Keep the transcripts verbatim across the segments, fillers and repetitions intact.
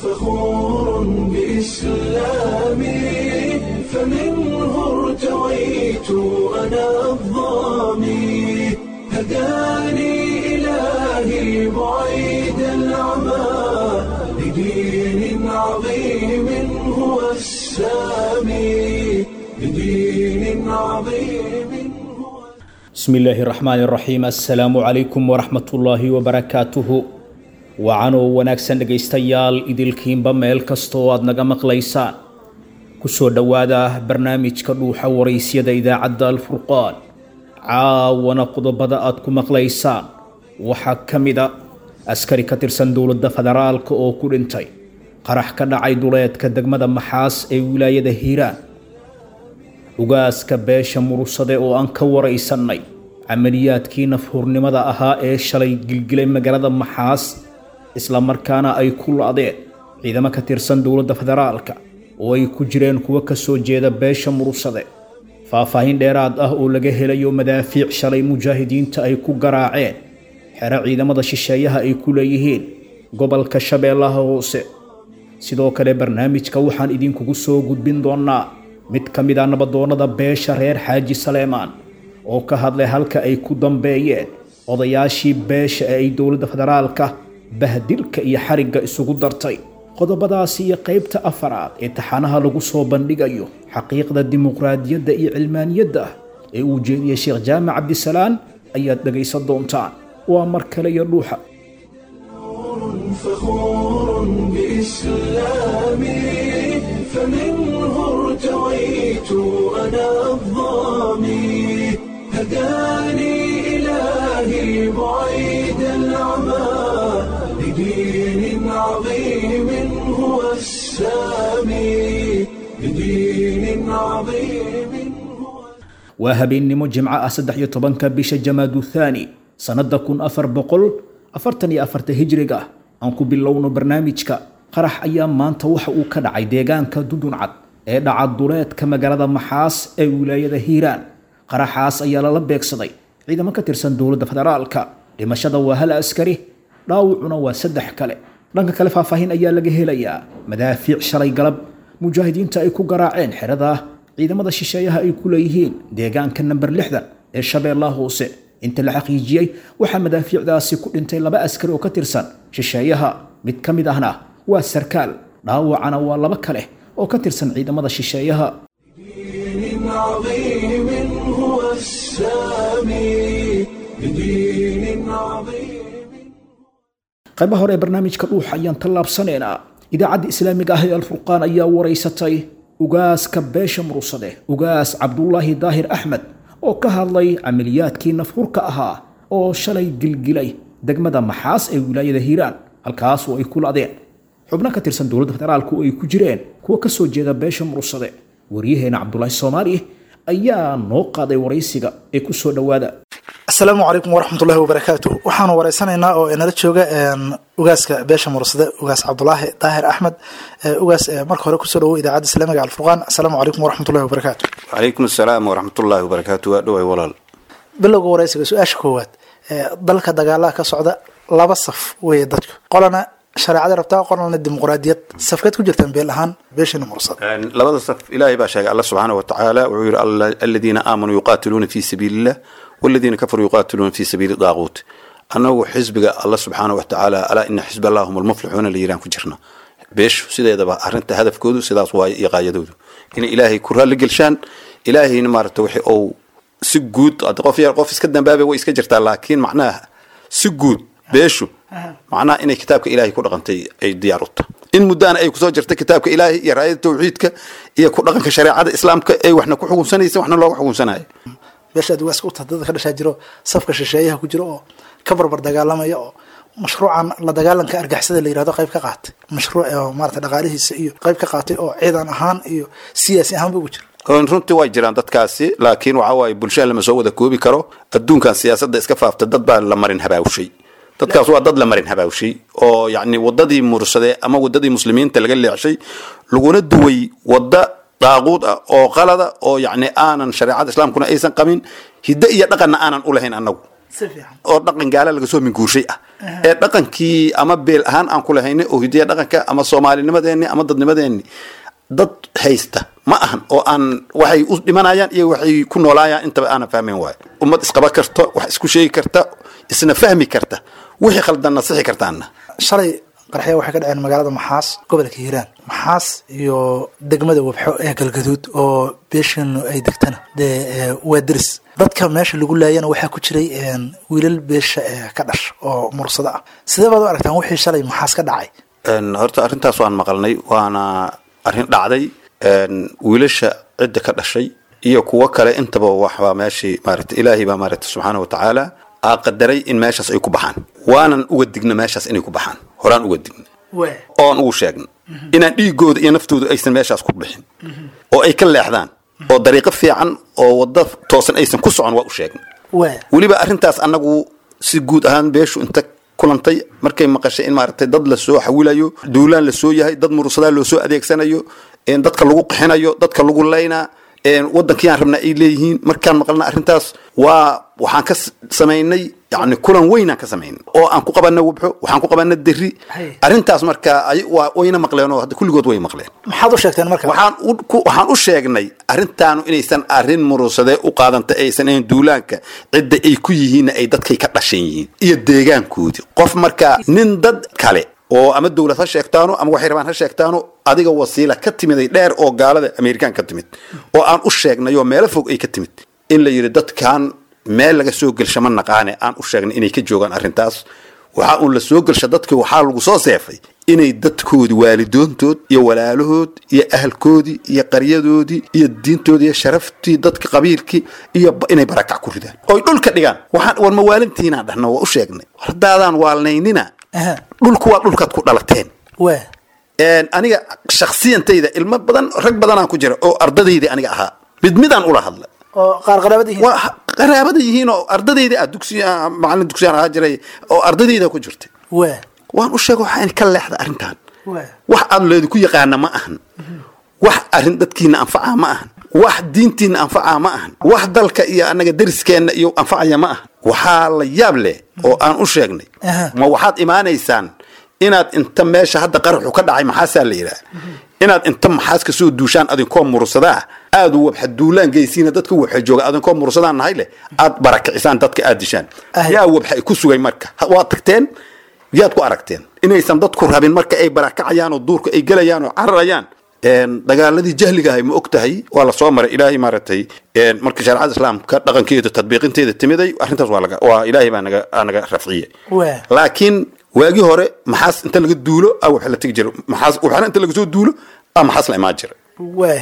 فخور بإسلامي، فمنه ارتويت أنا الظامي، هداني إلهي بعيد العمى لدين عظيم هو السامي، لدين عظيم هو. بسم الله الرحمن الرحيم. Assalaamu calaykum waraxmatullaahi wabarakaatuhu. Wacanoo wanaagsan dhegaystayaal idilkiinba meel kasta oo aad naga maqlaysaan, kusoo dhowaada barnaamijka Dhuuxa Waraysyada idaacadda Alfurqaan. Caawana qodobada aad ku maqlaysaan waxaa ka mid a askari ka tirsan dowladda federaalka oo ku dhintay qarax ka dhacay duleedka degmada Maxaas ee wilaayada Hiiraan, ugaaska beesha Murursade oo aan ka waraysanay camaliyaadkii nafhurnimada ahaa ee shalay gilgilay magaalada Maxaas, islamarkaana ay ku la'deen ciidamo ka tirsan dowladda federaalka oo ay ku jireen kuwo ka soo jeeda beesha Murursade, faahfaahin dheeraad ah oo laga helayo madaafiic shalay mujaahidiinta ay ku garaaceen xero ciidamada shisheeyaha ay ku leeyihiin gobolka Shabeellaha Hoose. Sidoo kale barnaamijka waxaan idinkugu soo gudbin doonaa mid ka mid ah nabadoonnada beesha reer Xaaji Saleemaan oo ka hadlay halka ay ku dambeeyeen odayaashii beesha ee ay dowladda federaalka bahdilka iyo xarigga isugu dartay. Qodobadaasi iyo qaybta afaraad ee taxanaha lagu soo bandhigayo xaqiiqda dimuqraadiyadda iyo cilmaaniyadda ee uu jeediyey Sheekh Jaamac Cabdisalaan ayaad dhegaysan doontaan. Waa mar kale iyo Dhuuxa. فخور بإسلامي، فمنه ارتويت أنا الظامي، هداني إلهي بعيد العمى لدين عظيم هو السامي، لدين عظيم هو. Waa habeennimo Jimco ah, saddex iyo tobanka bisha Jamaadu Thaani, sannada kun afar boqol afartan iyo afarta hijriga. Aan ku bilowno barnaamijka. Qarax ayaa maanta waxa uu ka dhacay deegaanka Duduncad ee dhaca duleedka magaalada Maxaas ee wilaayada Hiiraan. Qaraxaas ayaa lala beegsaday ciidamo ka tirsan dowladda federaalka. Dhimashada waa hal askari, dhaawacuna waa saddex kale. Dhanka kale, faahfaahin ayaa laga helayaa madaafiic shalay galab mujaahidiinta ay ku garaaceen xerada ciidamada shisheeyaha ay ku leeyihiin deegaanka namber lixdan ee Shabeellaha Hoose. Inta la xaqiijiyey, waxaa madaafiicdaasi ku dhintay laba askari oo ka tirsan shisheeyaha, mid ka mid ahna waa sarkaal, dhaawacana waa laba kale oo ka tirsan ciidamada shisheeyaha. دين عظيم هو السامي، لدين عظيم. Qaybaha hore ee barnaamijka Dhuuxa ayaan tallaabsanaynaa. Idaacadda islaamiga ah ee Alfurqaan ayaa waraysatay ugaaska beesha Murursade, Ugaas Cabdulaahi Daahir Axmed, oo ka hadlay camaliyaadkii nafhurka ahaa oo shalay gilgilay degmada Maxaas ee wilaayada Hiiraan, halkaas oo ay ku la'deen xubno ka tirsan dowladda federaalku oo ay ku jireen kuwo ka soo jeeda beesha Murursade. Waryaheena Cabdulaahi Soomaali ayaa noo qaaday waraysiga ee ku soo dhowaada. Asalaamu calaykum waraxmatullahi wabarakaatu. Waxaanu wareysanaynaa oo inala jooga ugaaska beesha Mursade, Ugaas Cabdulaahi Daahir Axmed. Ugaas, marka hore kusoo dhawow Idaacadda Islaamiga Alfurqaan. Asalaamu calaykum waraxmatullahi wabarakaatu. Calaykum asalaam waraxmatullaahi wabarakaatu. Waa dhoway, walaal. Bilowga wareysiga, su-aasha koowaad: dalka dagaalaha ka socda, laba saf weeye dadku, qolana shareecada rabtaa, qolana dimuqraadiyad. Safkeed ku jirtaan beel ahaan beeshana Mursade? Labada saf Ilaahay baa sheegay. Alla subxaana wa tacaala wuxuu yidhi: "Aladiina aamanuu yuqaatiluuna fi sabiili illah, waladiina kafaruu yuqaatiluuna fi sabiili daaquut." Annagu xisbiga Alla subxaana wa tacaala, "Alaa ina xisba allah hum almuflixuuna" la yiraan ku jirna. Beeshu sideedaba arrinta hadafkoodu sidaas waaye iyo qaayadoodu, inay Ilaahay ku raalli gelshaan, Ilaahayna maaragta wixii uu si guud. Qof yar, qof iska dambaabay way iska jirtaa, laakiin macnaha si guud beeshu macnaha inay kitaabka Ilaahay ku dhaqantay ay diyaar u tahay, in muddaana ay kusoo jirtay kitaabka Ilaahay iyo raayada tawxiidka iyo ku dhaqanka shareecada Islaamka ay waxna ku xukunsanaysa, waxna looga xukunsanayo. Beesha aad ugaaska u tahay, dadka ka dhashaa jiro safka shisheeyaha ku jiro oo ka barbar dagaalamaya oo mashruucan la dagaalanka argixisada la yirahdo qayb ka qaatay, mashruuc oo maarata dhaqaalihiisa iyo qayb ka qaatay oo ciidan ahaan iyo siyaasi ahaanba ugu jira. Runtii way jiraan dadkaasi, laakiin waxa waaye bulshada lama soo wada koobi karo. Adduunkan siyaasadda iska faafta, dad baa la marin habaawshay. Dadkaas waa dad la marin habaawshay oo yacni wadadii Mursadee ama wadadii muslimiinta laga leexshay, laguna duway wadda daaquud ah oo qalada oo yacni aanan shareecada Islaamkuna aysan qabin, hiddo iyo dhaqanna aanan u lahayn annagu. Si fiican. Oo dhaqan gaala laga soo minguurshay ah ee dhaqankii ama beel ahaan aan ku lahaynay oo hidiya dhaqanka ama soomaalinimadeenni ama dadnimadeenni dad haysta ma ahan, oo aan waxay u dhimanayaan iyo waxay ku noolaayaan intaba aanan fahmayn waayo. Ummad isqaba karta, wax isku sheegi karta, isna fahmi karta, wixii khaldanna sixi kartaanna. Shalay qaraxya waxay ka dhaceen magaalada Maxaas, gobolka Hiiraan. Maxaas iyo degmada Wabxo ee Galgaduud oo beeshiinu ay degtana dee ee, waa deris. Dadka meesha lagu laayana waxaa ku jiray een, wiilal beesha ee ka dhash oo mursado ah. Sidee baad u aragtaan wixii shalay Maxaas ka dhacay? Een, horta arrintaas waan maqalnay, waana arrin dhacday. Een, wiilasha cidda ka dhashay iyo kuwo kale intaba waxbaa meeshii maaragtay Ilaahay baa maaragtay subxaana wa tacaala aa qadaray in meeshaas ay ku baxaan, waanan uga digna meeshaas inay ku baxaan. Horaan uga digna oon ugu sheegna inaan dhiigooda iyo naftooda aysan meeshaas ku bixin oo ay ka leexdaan oo dariiqo fiican oo waddo toosan aysan ku socon, waa u sheegna. Waa weliba arrintaas annagu si guud ahaan beeshu inta kulantay markay maqashay in maaragtay dad la soo xawilayo, duulaan la soo yahay, dad mursadaa loo soo adeegsanayo, een dadka lagu qixinayo, dadka lagu laynaa, een wadankii aan rabnaa ay leeyihiin, markaan maqalna arrintaas waa waxaan ka s- samaynay yacni kulan weynaan ka samaynay oo aan ku qabana Wabxo, waxaan ku qabana Derri. Hay. Arrintaas marka ay- waa wayna maqleen oo hadda kulligood way maqleen. Maxaad u sheegteen marka? Waxaan u ku- waxaan u sheegnay arrintaanu inaysan arrin murusadee u qaadanta aysan ahayn, duulaanka cidda ay ku yihiinna ay dadkay ka dhashan yihiin iyo deegaankoodii. Qof marka nin dad kale oo ama dowlad ha sheegtaano ama waxay rabaan ha sheegtaano, adiga wasiila ka timiday dheer oo gaalada Amerikaan ka timid oo aan u sheegnay oo meelo fog ay ka timid in la yidhi dadkan meel laga soo gelsha ma naqaane, aan u sheegnay inay ka joogaan arrintaas. Waxaa uun la soo gelsha dadkii, waxaa lagu soo seefay inay dadkoodi, waalidoontood iyo walaalahood iyo ahalkoodii iyo qaryadoodii iyo diintoodii iyo sharaftii dadka qabiilkii iyo ba- inay barakac ku ridaan oy dhulka dhigaan. Waxaan war mawaalintiinaan dhahna, waa u sheegnay haddaadaan waalnaynina. Aha. Dhulku waa dhulkaad ku dhalateen. Waa Een, aniga shakhsiyantayda ilmo badan, rag badanaan ku jira oo ardadayda aniga ahaa, mid midaan ula hadla. Oo qaar qaraabada yihiin. Waa qaraabada yihiin oo ardadayda ah, dugsi ah, macallin dugsiyaan ahaa jiray oo ardadayda ku jirtay. Waa waan u sheegay waxaa in ka leexda arrintan. Waa wax aad leedu ku yaqaana ma ahan, wax arrin dadkiina anfaca ma ahan, wax diintiina anfaca ma ahan, wax dalka iyo annaga deriskeenna iyo anfacaya ma ahan. Waxaa la yaab leh oo aan u sheegnay, Aha. ma waxaad imaanaysaan inaad inta meesha hadda qaraxu ka dhacay maxaasaa la yidhaah, inaad inta maxaas ka soo duushaan adinkoo mursadaa, aad wabxa duulaan geysiina dadka wabxa jooga, adinkoo mursadaan nahay leh, aad barakicisaan dadka, aad dishaan? Ah. Yaa wabxa ku sugay marka? Ha- waad tagteen, yaad ku aragteen inaysan dadku rabin marka ay barakacayaan oo duurka ay gelayaan oo cararayaan? Een, dagaaladii jahliga ahay ma og tahay waa la soo maray. Ilaahay maaragtay een, markii shareecada islaamka dhaqankeeda tadbiiqinteeda timiday arrintaas waa laga waa Ilaahay baa naga aa naga rafciyey. Waa laakiin waagii hore maxaas inta laga duulo a waxa la tegi jiray maxaas, waxaana inta laga soo duulo a maxaas la imaan jiray. Waa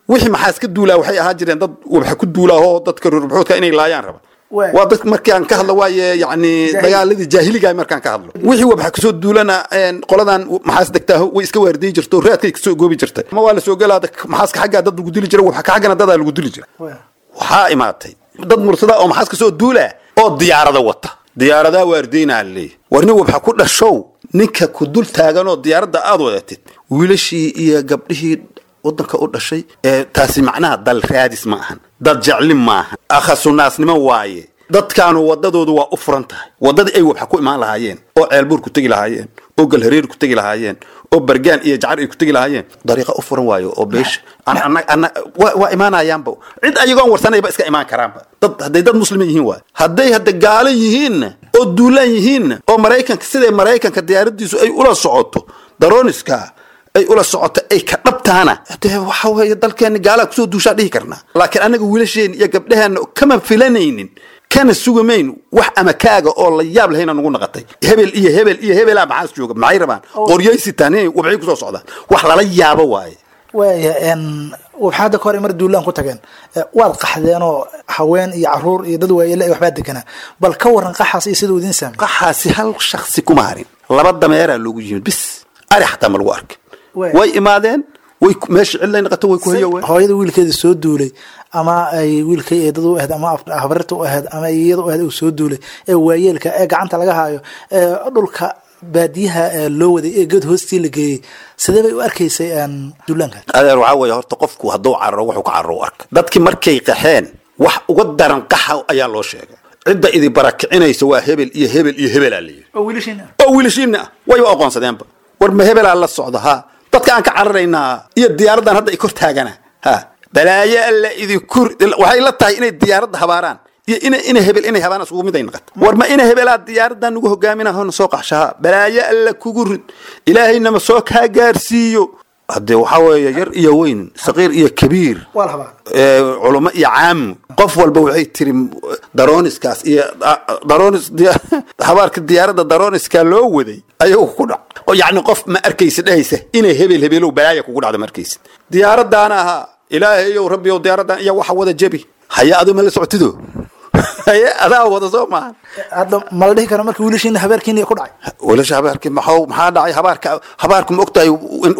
wixii maxaas ka duulaa waxay ahaan jireen dad waxa ku duulaahoo dadka rurbuxoodka inay laayaan raba. Waa. Waa dad markaan ka hadlo waaye yacni dagaaladii jaahiliga markaan ka hadlo, wixii waxa kasoo duulana een, qoladan maxaas degtaa way iska waardiyi jirto, raadkay kasoo goobi jirtay, ama waa la soo gelaa maxaaska xaggaa dad lagu dili jiray, waxa ka xaggana dadaa lagu dili jiray. Waa waxaa imaatay dad mursada oo maxaas kasoo duula oo diyaarada wata, diyaaradaa waardiynaa leeyahy. War nin wabxa ku dhashow, ninka ku dul taaganoo diyaaradda aad wadatid, wiilashii iyo gabdhihii wadanka u dhashay ee taasi macnaha dal raadis ma ahan, dad jeclin maahan, akhasunaasnimo waaye. Dadkaanu wadadoodu waa u furan tahay, wadadii ay wabxa ku imaan lahaayeen oo Ceelbuur ku tegi lahaayeen oo Galhareer ku tegi lahaayeen oo Bargaan iyo Jacar ay ku tegi lahaayeen, dariiqa u furan waayo oo beesha An- ana- ana- waa waa imaanayaanba, cid ayagoon warsanayba iska imaan karaanba. Dad hadday dad muslimiin yihiin waay, hadday hadda gaalo yihiinna oo duulaan yihiinna oo Maraykanka siday Maraykanka diyaaradiisu ay ula socoto, darooniska ay ula socoto, ay ka dhabtaana dee waxa weeye dalkeena gaalaa kusoo duushaa dhihi karnaa. Laakiin anaga wiilasheen iyo gabdhaheenna kama filanaynin kana sugamayn wax ama kaaga oo la yaab lahayna nagu naqatay. Hebel iyo hebel iyo hebelaa maxaas jooga, maxay rabaan? Qoryay sitaan inay wabcay kusoo socdaan, wax lala yaabo waaye. Waaya n waxaa hadda ka hor mar duulaan ku tageen. Eh, waad qaxdeenoo haween iyo caruur iyo dad waayele ay waxbaa deganaa. Bal ka waran qaxaas iyo siduu idiin saamey? Qaxaasi hal shaksi kuma harin, laba dameeraa loogu yimid bis, ari xataa ma lagu arkin. Waay. Way imaadeen, way ku- meesha cidlay naqato, way ku hayoween. Hooyada wiilkeeda soo duulay ama ay wiilkay eedada u ahayd ama af- habarirta u ahayd ama iyada u ahayd uu soo duulay ee waayeelka ee gacanta laga haayo ee dhulka baadiyaha ee loo waday ee geed hoostii la geeyey, sidee bay u arkaysay een, duulaanka? Adeer, waxaa weeye horta qofku hadduu cararo wuxuu ka cararo u arka. Dadkii markay qaxeen wax uga daran qaxa ayaa loo sheegay. Cidda idi barakicinaysa waa hebel iyo hebel iyo hebelaa la yidhi. Oo wiilashiina. Oo wiilashiina ah, wayba aqoonsadeenba. War ma hebelaa la socda? Ha, dadka aan ka cararaynaa iyo diyaaraddan hadda i kor taagana. Ha, balaayo alla idinku. Waxay la tahay inay diyaaradda habaaraan iyo ina ina hebel inay habaaraan isugu mid ay noqoto. War ma ina hebelaa diyaaraddan nagu hogaaminaa hona soo qaxshaha? Balaayo alla kugu rid, ilaahayna ma soo kaa gaarsiiyo. Haddee waxaa weeye yar iyo weyn, saqiir iyo kabiir, waa la habaa, ee, culamo iyo caam, qof walba waxay tiri daroniskaas iyo daronis habaarka diyaaradda daroniska loo waday ayagu ku dhac. Oo yacni qof ma arkaysid dhehaysa inay hebel hebelow balaaya kugu dhacda ma arkaysid. Diyaaraddaana ahaa, ilaahayow rabbiyow diyaaraddan iyo waxa wada jebi haya, adu ma la socotido, haye adaa wada soo maahan. Hadda ma la dhihi kara marka wiilashiina habaarkiina ku dhacay? Wiilasha habaarkii maxaa maxaa dhacay? Habaarka habaarku ma ogtahay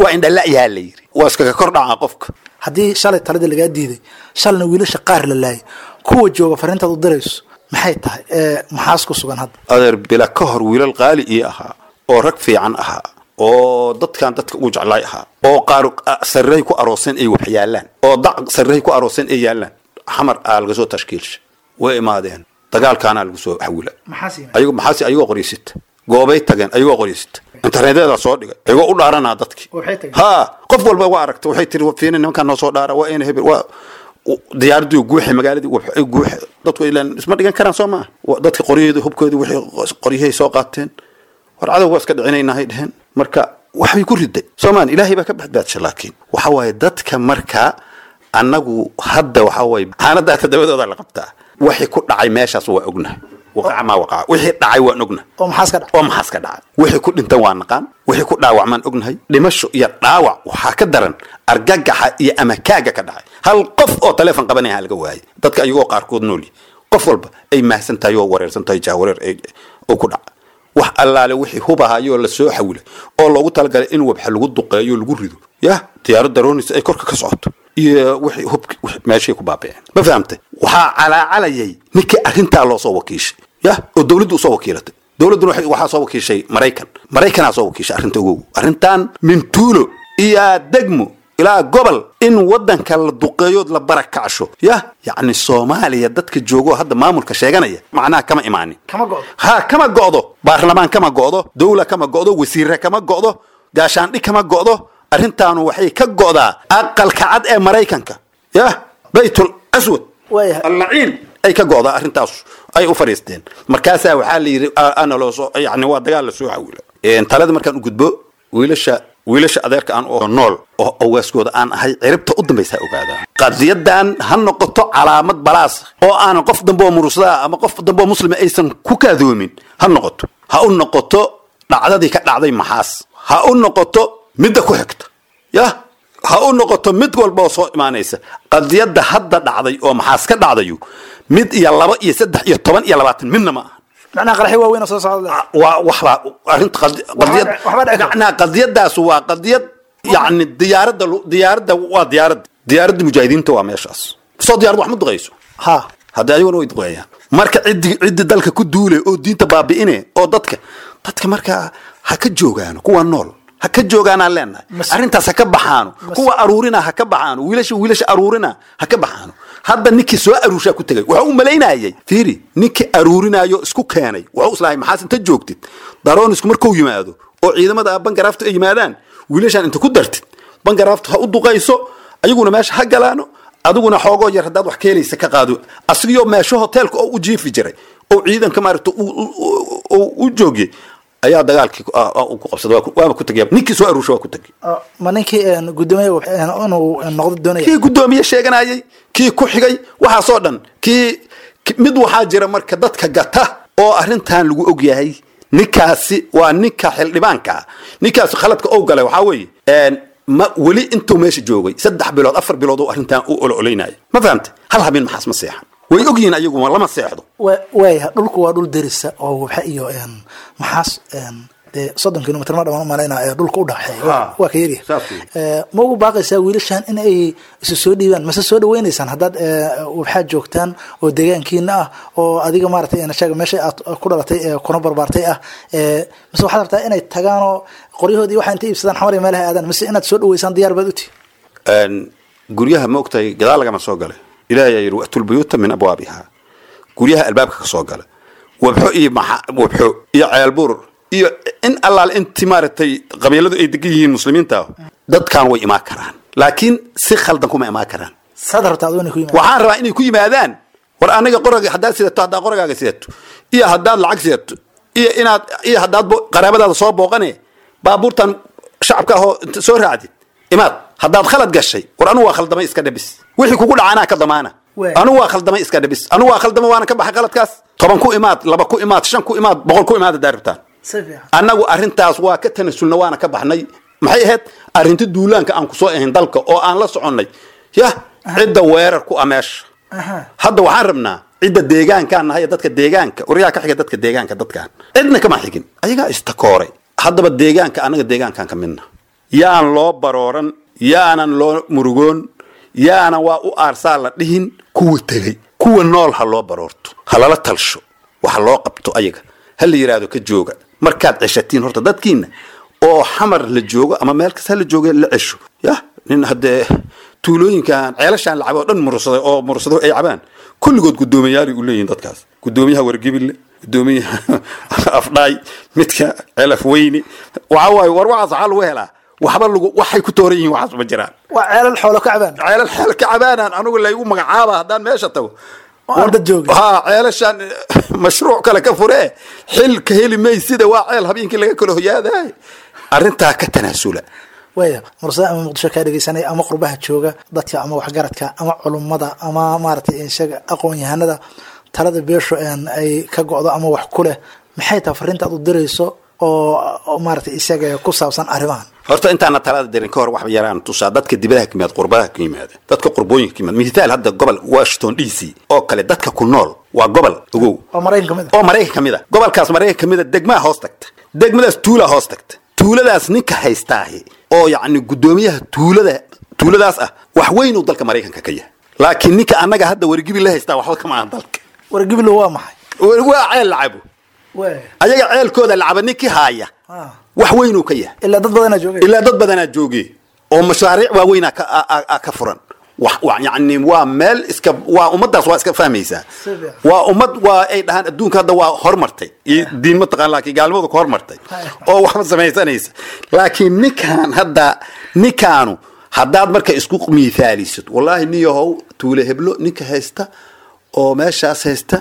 waa indhala'yaha la yiri, waa iskaga kor dhaca qofka. Haddii shalay taladii lagaa diiday, shalna wiilasha qaar la laayay, kuwa jooga fariintaad u dirayso maxay tahay? Ee maxaas ku sugan hadda? Adeer, bila ka hor wiilal qaali ii ahaa oo rag fiican ahaa oo dadkan dadka ugu jeclaay ahaa oo qaar sarrey ku arooseen ay wax yaalaan oo dac sarrey ku arooseen ay yaalaan, Xamar aa laga soo tashkiilsha, way imaadeen, dagaalkaana lagu soo xawila. Maxaa siimay? Ayago maxaasi ayagoo qoryeysita goobay tageen, ayagoo qoryeysita internetyada soo dhigay, ayagoo u dhaaranaa dadkii. Waxay tageen? Ha, qof walba waa aragta, waxay tiri fiini nimankaan noo soo dhaara, waa ina hebel, waa diyaaradii guuxi, magaaladii guuxi, dadku ilaan isma dhigan karaan soo maaha. Dadka qoryaheedu hubkoodii wixii qoryahay soo qaateen, war cadow waa iska dhicinaynahay dheheen. Marka waxbay ku riday soomaan, ilaahay baa ka badbaadsha. Laakiin waxa waaye dadka marka annagu hadda waxa waaye xaanadaa todobadooda la qabtaa, wixii ku dhacay meeshaas waa ognahay, waqaca maa waqaca, wixii dhacay waan ognahay. Oo maxaas ka dhacay? Oo maxaas ka dhacay, wixii ku dhintan waa naqaan, wixii ku dhaawacmaan ognahay. Dhimasho iyo dhaawac waxaa ka daran argagaxa iyo amakaaga ka dhacay. Hal qof oo taleefon qabanaya laga waayay dadka, ayagoo qaarkood nool yihiin. Qof walba ay mahsan tahay oo wareersan tahay, jaawareer ay- oo ku dhaca. Wax allaale wixii hubahayoo la soo xawilay oo loogu talagalay in wabxa lagu duqeeyo, lagu rido, yah, diyaarad daroonaysa ay korka ka socoto iyo wixii hub wixii meeshay ku baabi'een, ma fahamtay? Waxaa calaacalayay ninkii arrintaa loo soo wakiishay, yah, oo dowladdu usoo wakiilatay. Dowladduna waxay- waxaa soo wakiishay Maraykan, Maraykanaa soo wakiishay arrinta. Ogow, arrintan min tuulo iyo degmo ilaa gobol in wadanka la duqeeyood la barakacsho, yah, yacni Soomaaliya dadka joogo hadda maamulka sheeganaya macnaha kama imaanin. Kama go'do. Ha, kama go'do, baarlamaan kama go'do, dowla kama go'do, wasiire kama go'do, gaashaandhi kama go'do. Arrintaanu waxay ka go'daa Aqalka Cad ee Maraykanka, yah, Baytul Aswad Waayahay. Allaciin ay ka go'daa arrintaas ay u fadhiisteen. Markaasaa waxaa la yidhi a- ana loo soo, yacni waa dagaal la soo xawila. Een, talada markaan u gudbo, wiilasha wiilasha adeerka aan oo nool oo awaaskooda aan ahay ciribta u dambaysa ha ogaadaan qadiyadan, ha noqoto calaamad balaas oo aanan qof dambe oo murusada ama qof dambe oo muslima aysan ku kaadoomin. Ha noqoto, ha u noqoto dhacdadii ka dhacday Maxaas, ha u noqoto midda ku xigta, yah, ha u noqoto mid walba oo soo imaanaysa. Qadiyadda hadda dhacday oo Maxaas ka dhacdayu mid iyo laba iyo saddex iyo toban iyo labaatan midna ma aha. Macnaha qaraxyo waaweyn oo soo socda. Waa waxbaa arrinta qadi- qadiyad Waxbaa dhici kara. Macnaa qadiyadaas waa qadiyad, yacni diyaaradda lu- diyaaradda waa diyaaradda diyaaradda mujaahidiinta waa meeshaas soo diyaarad wax ma duqeyso. Ha. Hadda ayaguna way duqeeyaan. Marka ciddi ciddi dalka ku duulay oo diinta baabi'ine oo dadka dadka marka ha ka joogaano, kuwa nool ha ka joogaanaan leenahay. Mas- Arrintaas ha ka baxaano, kuwa aruurina ha ka baxaano, wiilasha wiilasha aruurina ha ka baxaano. Hadda ninkii soo aruurshaa ku tegay wuxuu u malaynayay, fiiri, ninkii aruurinayo isku keenay wuxuu islahay maxaas inta joogtid daroonisku markuu yimaado oo ciidamada bangaraaftu ay yimaadaan, wiilashaan inta ku dartid bangaraaftu ha u duqayso, ayaguna meesha ha galaano, adiguna xoogoo yar haddaad wax ka helaysa ka qaado. Asigiyoo meesho hoteelka oo u jiifi jiray oo ciidanka maaragta u- u- u u joogiyey ayaa dagaalkii ku- ah, ah, ku qabsaday. Waa ku- waaba ku tegay ninkii soo aruursha, waa ku tegay. Oo, ma ninkii een, guddoomiye een, inuu noqdo doonaya? Kii guddoomiye sheeganayay, kii ku xigay, waxaasoo dhan kii ki- mid waxaa jira marka dadka gata oo arrintan lagu og yahay. Ninkaasi waa ninka xildhibaanka ah. Ninkaasi khaladka ou galay waxaa weeye een, ma weli intuu meesha joogay saddex bilood afar bilood oo arrintan u ololaynaya, ma fahamtay? Hal habeen maxaas ma seexan, way ogyihiin ayagu lama seexdo. Wa- waayahay, dhulku waa dhul derisa oo Wabxa iyo een, maxaas een, dee soddon kilomitr ma dhamaan umalaynaa ee dhulka u dhaxeeya. Ha. Waa ka yaryahay. Saas weeye. Ee, ma ugu baaqaysaa wiilashan in ay isu soo dhiibaan mase soo dhaweynaysaan haddaad ee, Wabxaad joogtaan oo deegaankiina ah oo adiga maaragtay een, sheega meesha aad ku dhalatay ee kuna barbaartay ah, ee, mise waxaad rabtaa inay tagaan oo qoryahoodii waxaa inta iibsadaan Xamar iyo meelaha aadaan, mise inaad soo dhaweysaan diyaar baad u tihi? Een, guryaha ma ogtahay gadaal lagama soo galay. Ilaahay ayaa yidhi waatul buyuuta min abwaabiha. Guryaha albaabka ka soo gala, Wabxo iyo Wabxo iyo Ceelbuur iyo in allaal inti maaragtay qabiiladu ay degan yihiin muslimiinta, dadkan way imaan karaan, laakiin si khaldan kuma imaan karaan. Saad rabtaa adigu inay ku yimaadaan? Waxaan rabaa inay ku yimaadaan, war aniga qoraga haddaad sidato, haddaad qoragaaga sidato iyo haddaad lacag sidato iyo inaad iyo haddaad qaraabadaada soo booqane, baabuurtan shacabka ahoo soo raacdid imaad. Haddaad khalad gashay, war anugu waa khaldamay iska dhabis, wixii kugu dhaca anaa ka damaana. Anugu waa khaldamay iska dhabis, anugu waa khaldamay, waana ka baxay khaladkaas. Toban ku imaad, laba ku imaad, shan ku imaad, boqol ku imaad haddaad rabtaan. Annagu arrintaas waa ka tanasulna, waana ka baxnay. Maxay ahayd arrinta duulaanka aan kusoo ahayn dalka oo aan la soconnay? Yah, cidda weerar ku ah meesha hadda waxaan rabnaa cidda deegaankaan nahay, dadka deegaanka waryaa ka xiga dadka deegaanka, dadkaan cidna kama xigin, ayagaa istakooray. Haddaba deegaanka annaga deegaankaan ka midna yaan loo barooran, yaanan loo murugoon, yaanan waa u aarsaa la dhihin kuwa tegey. Kuwa nool ha loo baroorto, ha lala talsho, waxa loo qabto ayaga, ha la yidhaahdo ka jooga markaad ceshatiin horta dadkiina oo Xamar la joogo ama meel kasta la joogo la cesho. Yah, nin haddee tuulooyinkan ceelashaan la cabo oo dhan mursaday oo mursado ay cabaan kulligood guddoomiyaali u leeyihin dadkaas, guddoomiyaha Wargibille, guddoomiyaha Afdhaay, midka Celaf Weyne. Waxa waaye, war waxaas waxaa lagu helaa waxba lagu waxay ku tooran yihiin, waxaas ma jiraan. Waa ceelal xoolo ka cabaan. Ceelal xoolo ka cabaanaan anigu laygu magacaaba haddaan meesha tago. Dad jooga ha ceelashaan mashruuc kale ka furee, xil ka heli maysida, waa ceel habeenkii laga kala hoyaadaay. Arrintaa ka tanaasula. Waaya, mursada ama Muqdisho kaa dhegeysanaya ama qurbaha jooga, dadka ama waxgaradka ama culummada ama maaragtay isaga aqoon-yahanada talada beeshu ay ka go'do ama wax ku leh, maxay tahay fariinta aad u dirayso oo maaragtay isaga ku saabsan arrimahan? Horta intaana talada dirin ka hor wax yaraan tusaa dadka dibadaha ka yimaada, qurbaha ka yimaada, dadka qurbooyinka ka yimaada. Mithaal, hadda gobol Washington D C oo kale dadka ku nool waa gobol ogow oo Maraykan ka mid ah, oo Maraykan ka mid ah. Gobolkaas Maraykan ka mid ah degmaha hoos tagta, degmadaas tuula hoos tagta, tuuladaas ninka haystaahi oo yacni guddoomiyaha tuulada tuuladaas ah wax weyn uu dalka Maraykanka ka yahay. Laakiin ninka annaga hadda Wargibi la haystaa waxba kama ahan dalka. Wargibilo waa maxay? Waa ceel lacabo, ayaga ceelkooda lacaba ninkii haaya wax weynuu ka yahay. Ilaa dad badanaa joogay, ilaa dad badanaa joogay oo mashaariic waaweynaa ka ka furan. Yani waa meel iska, waa ummadaas waa iska fahmaysaa, waa ummad waa ay dhahaan adduunka hadda waa hormartay iyo diin ma taqaan, laakiin gaalnimadu ka hormartay oo waxba samaysanaysa. Laakiin ninkaan hadda ninkaanu haddaad marka isku miithaalisid, wallaahi nin yahow, tuule heblo ninka haysta oo meeshaas haysta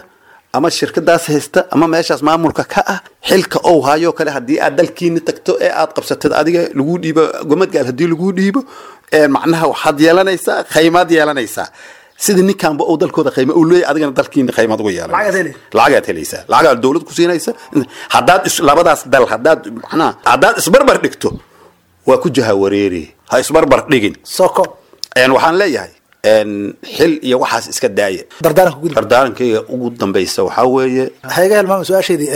ama shirkadaas haysta ama meeshaas maamulka ka ah, xilka ou hayo kale haddii aad dalkiina tagto ee aad qabsatid, adiga lagu dhiibo gomadgaal, haddii lagu dhiibo, macnaha waxaad yeelanaysaa khaymaad yeelanaysaa sida ninkaanba uu dalkooda khayma uu leeyahay, adigana dalkiina khaymaad uga yeelanaysa, lacagaad helaysaa, lacagaad dowlad ku siinaysa. Haddaad labadaas dal haddaad macnaha haddaad isbarbar dhigto waa ku jaha wareeri. Ha isbarbar dhigin. Soko waxaan leeyahay xil iyo waxaas iska daaya. Dardaaranka gudub. Dardaarankayga ugu dambaysa waxaa weeye, waxaa iga hilmaama su-aasheedii,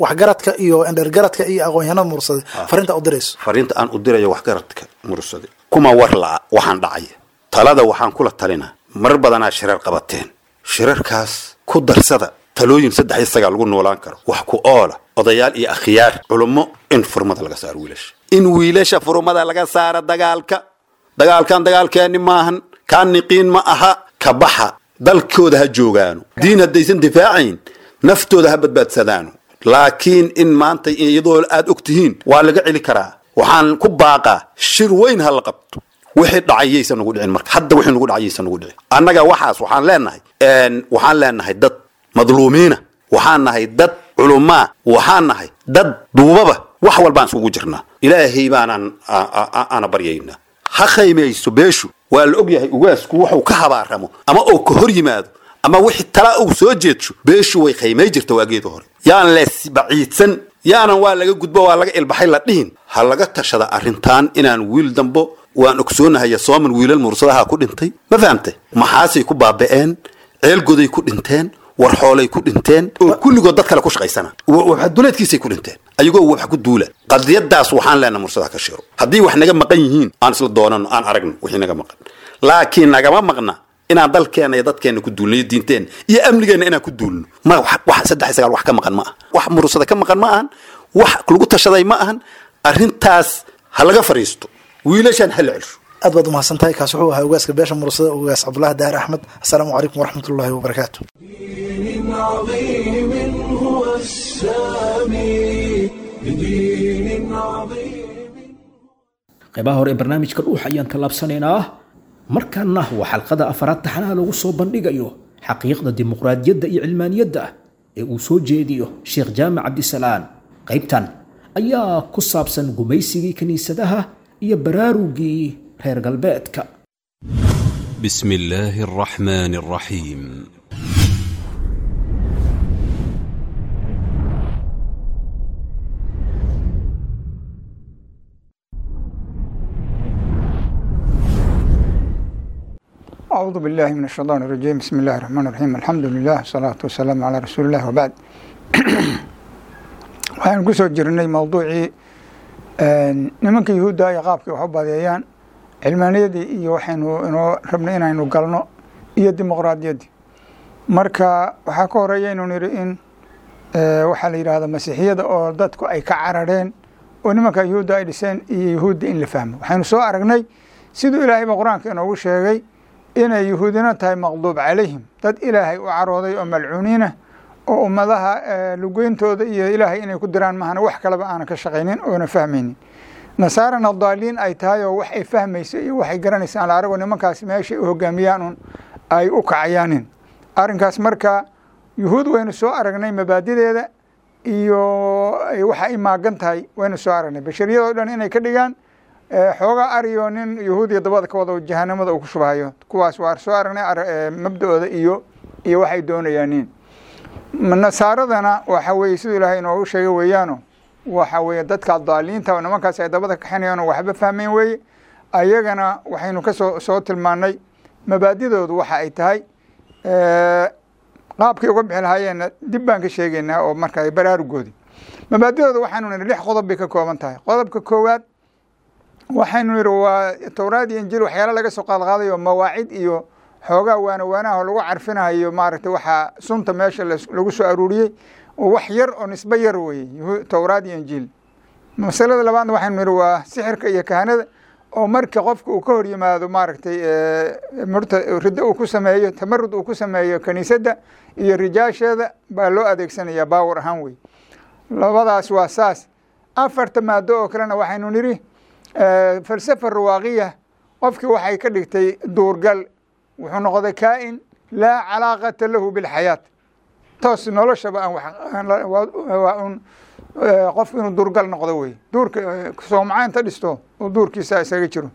waxgaradka iyo indhergaradka iyo aqoon-yahanada mursaday fariinta u dirayso. Fariinta aan u dirayo waxgaradka mursaday, kuma war la'a waxaan dhacaya, talada waxaan kula talinaa, marar badanaa shirar qabateen, shirarkaas ku darsada talooyin saddex iyo sagaal lagu noolaan karo, wax ku oola, odayaal iyo akhyaar culummo, in furmada laga saaro wiilasha, in wiilasha furmada laga saaro dagaalka. Dagaalkan dagaalkeeni maahan, kaan niqiin ma aha, ka baxa, dalkooda ha joogaano, diin haddaysan difaacayn naftooda ha badbaadsadaano. Laakiin in maanta iyadoo aad og tihiin waa laga celi karaa. Waxaan ku baaqaa shir weyn ha la qabto, wixii dhacay yaysan nagu dhicin marka hadda, wixii nagu dhacay yaysan nagu dhicin. Annaga waxaas waxaan leenahay, waxaan leenahay dad madluumiina, waxaan nahay dad culumaa, waxaan nahay dad duubaba, wax walbaan isugu jirnaa, Ilaahay baanaan aana baryaynaa. Ha khaymayso beeshu, waa la og yahay ugaasku wuxuu ka habaaramo ama uu ka hor yimaado ama wixii tala uu soo jeedsho, beeshu way khaymay jirta waageeda hore. Yaan lees baciidsan, yaanan waa laga gudbo, waa laga ilbaxay la dhihin, ha laga tashada arrintan inaan wiil dambo. Waan ogsoonahay sooman wiilal mursadaha ku dhintay, ma fahamtay? Maxaasay ku baaba'een, ceelgoday ku dhinteen, war xoolay ku dhinteen oo kulligood dad kale ku shaqaysana, duleedkiisay ku dhinteen ayagoo wax ku duula. Qadiyadaas waxaan leenahay mursadaha ka shiro, haddii wax naga maqan yihiin aan isla doonano, aan aragno wixii naga maqan, laakiin nagama maqna inaan dalkeena iyo dadkeena ku duulno iyo diinteena iyo amnigeena inaan ku duulno. Ma wax saddex iyo sagaal wax ka maqan ma aha, wax mursada ka maqan ma ahan, wax lagu tashaday ma ahan. Arrintaas ha laga fariisto, wiilashan ha la celsho. Aad baad umahadsan tahay. Kaas wuxuu ahaa ugaaska beesha mursada, ugaas Cabdullahi Daahir Axmed. Assalaamu calaykum waraxmat ullahi wabarakaatu. عظيم هو السامي لدين عظيم. Qaybaha hore ee barnaamijka Dhuux ayaan tallaabsanaynaa. Markaana waa xalqada afaraad taxanaha lagu soo bandhigayo xaqiiqda dimuqraadiyadda iyo cilmaaniyadda ee uu soo jeediyo Sheekh Jaamac Cabdisalaan. Qaybtan ayaa ku saabsan gumaysigii kiniisadaha iyo baraarugii reer galbeedka. بسم الله الرحمن الرحيم. أعوذ بالله من الشيطان الرجيم. بسم الله الرحمن الرحيم. الحمد لله والصلاة والسلام على رسول الله وبعد. Waxaan ku soo jirnay mowduucii nimanka yuhuudda ay qaabkii wax u badeeyaan, cilmaaniyadii iyo waxaynu inoo rabnay inaynu galno iyo dimuqraadiyaddii. Marka waxaa ka horeeya inuu niri in waxaa la yidhaahda masiixiyada oo dadku ay ka carareen oo nimanka yuhuudda ay dhiseen iyo yuhuudda in la fahmo. Waxaynu soo aragnay siduu ilaahayba qur-aanka inoogu sheegay inay yuhuudina tahay maqduub calayhim, dad ilaahay u carooday oo malcuuniinah oo ummadaha lugeyntooda iyo ilaahay inay ku diraan mahana wax kaleba aanan ka shaqaynin oona fahmaynin. Nasaarana daaliin ay tahay oo wax ay fahmayso iyo waxay garanaysa aan la arago, nimankaas meeshay u hogaamiyaan un ay u kacayaanin arrinkaas. Marka yuhuud waynu soo aragnay mabaadideeda iyo waxa ay maagan tahay, waynu soo aragnay bashariyadoo dhan inay ka dhigaan xoogaa ariyo nin yuhuudiya dabada ka wada jahanamada uu ku shubahayo. Kuwaas waa soo aragnay mabda-ooda iyo iyo waxay doonayaanin. Nasaaradana waxa weeye siduu ilaahay inoogu sheegay weeyaano, waxa weeye dadka daaliinta oo nimankaas ay dabada kaxinayaan oo waxba fahmayn weeye. Ayagana waxaynu kasoo soo tilmaanay mabaadidoodu waxa ay tahay, qaabkay uga bixi lahaayeenna dib baan ka sheegaynaa oo marka baraarugoodii mabaadidooda waxaanu nidhi lix qodob bay ka kooban tahay. Qodobka koowaad waxaynu nidhi waa towraad iyo injiil waxyaala laga soo qaadqaadayo, mawaacid iyo xoogaa waana waanaha oo lagu carfinayo maaragtay waxaa sunta meesha lagu soo aruuriyey oo wax yar oo nisbe yar weeye towraad iyo injiil. Masalada labaadna waxaynu nidhi waa sixirka iyo kahanada oo marka qofka uu ka hor yimaado maaragtay murta riddo uu ku sameeyo, tamarud uu ku sameeyo kiniisadda iyo rijaasheeda baa loo adeegsanaya baawar ahaan wey. Labadaas waa saas. Afarta maado oo kalena waxaynu nidhi falsafa ruwaaqiya, qofkii waxay ka dhigtay duurgal, wuxuu noqday kaa'in laa calaaqata lahu bilxayaat, toos noloshaba aan waa un qofku inuu duurgal noqdo wey, duurka soomca inta dhisto oo duurkiisa isaga jiro.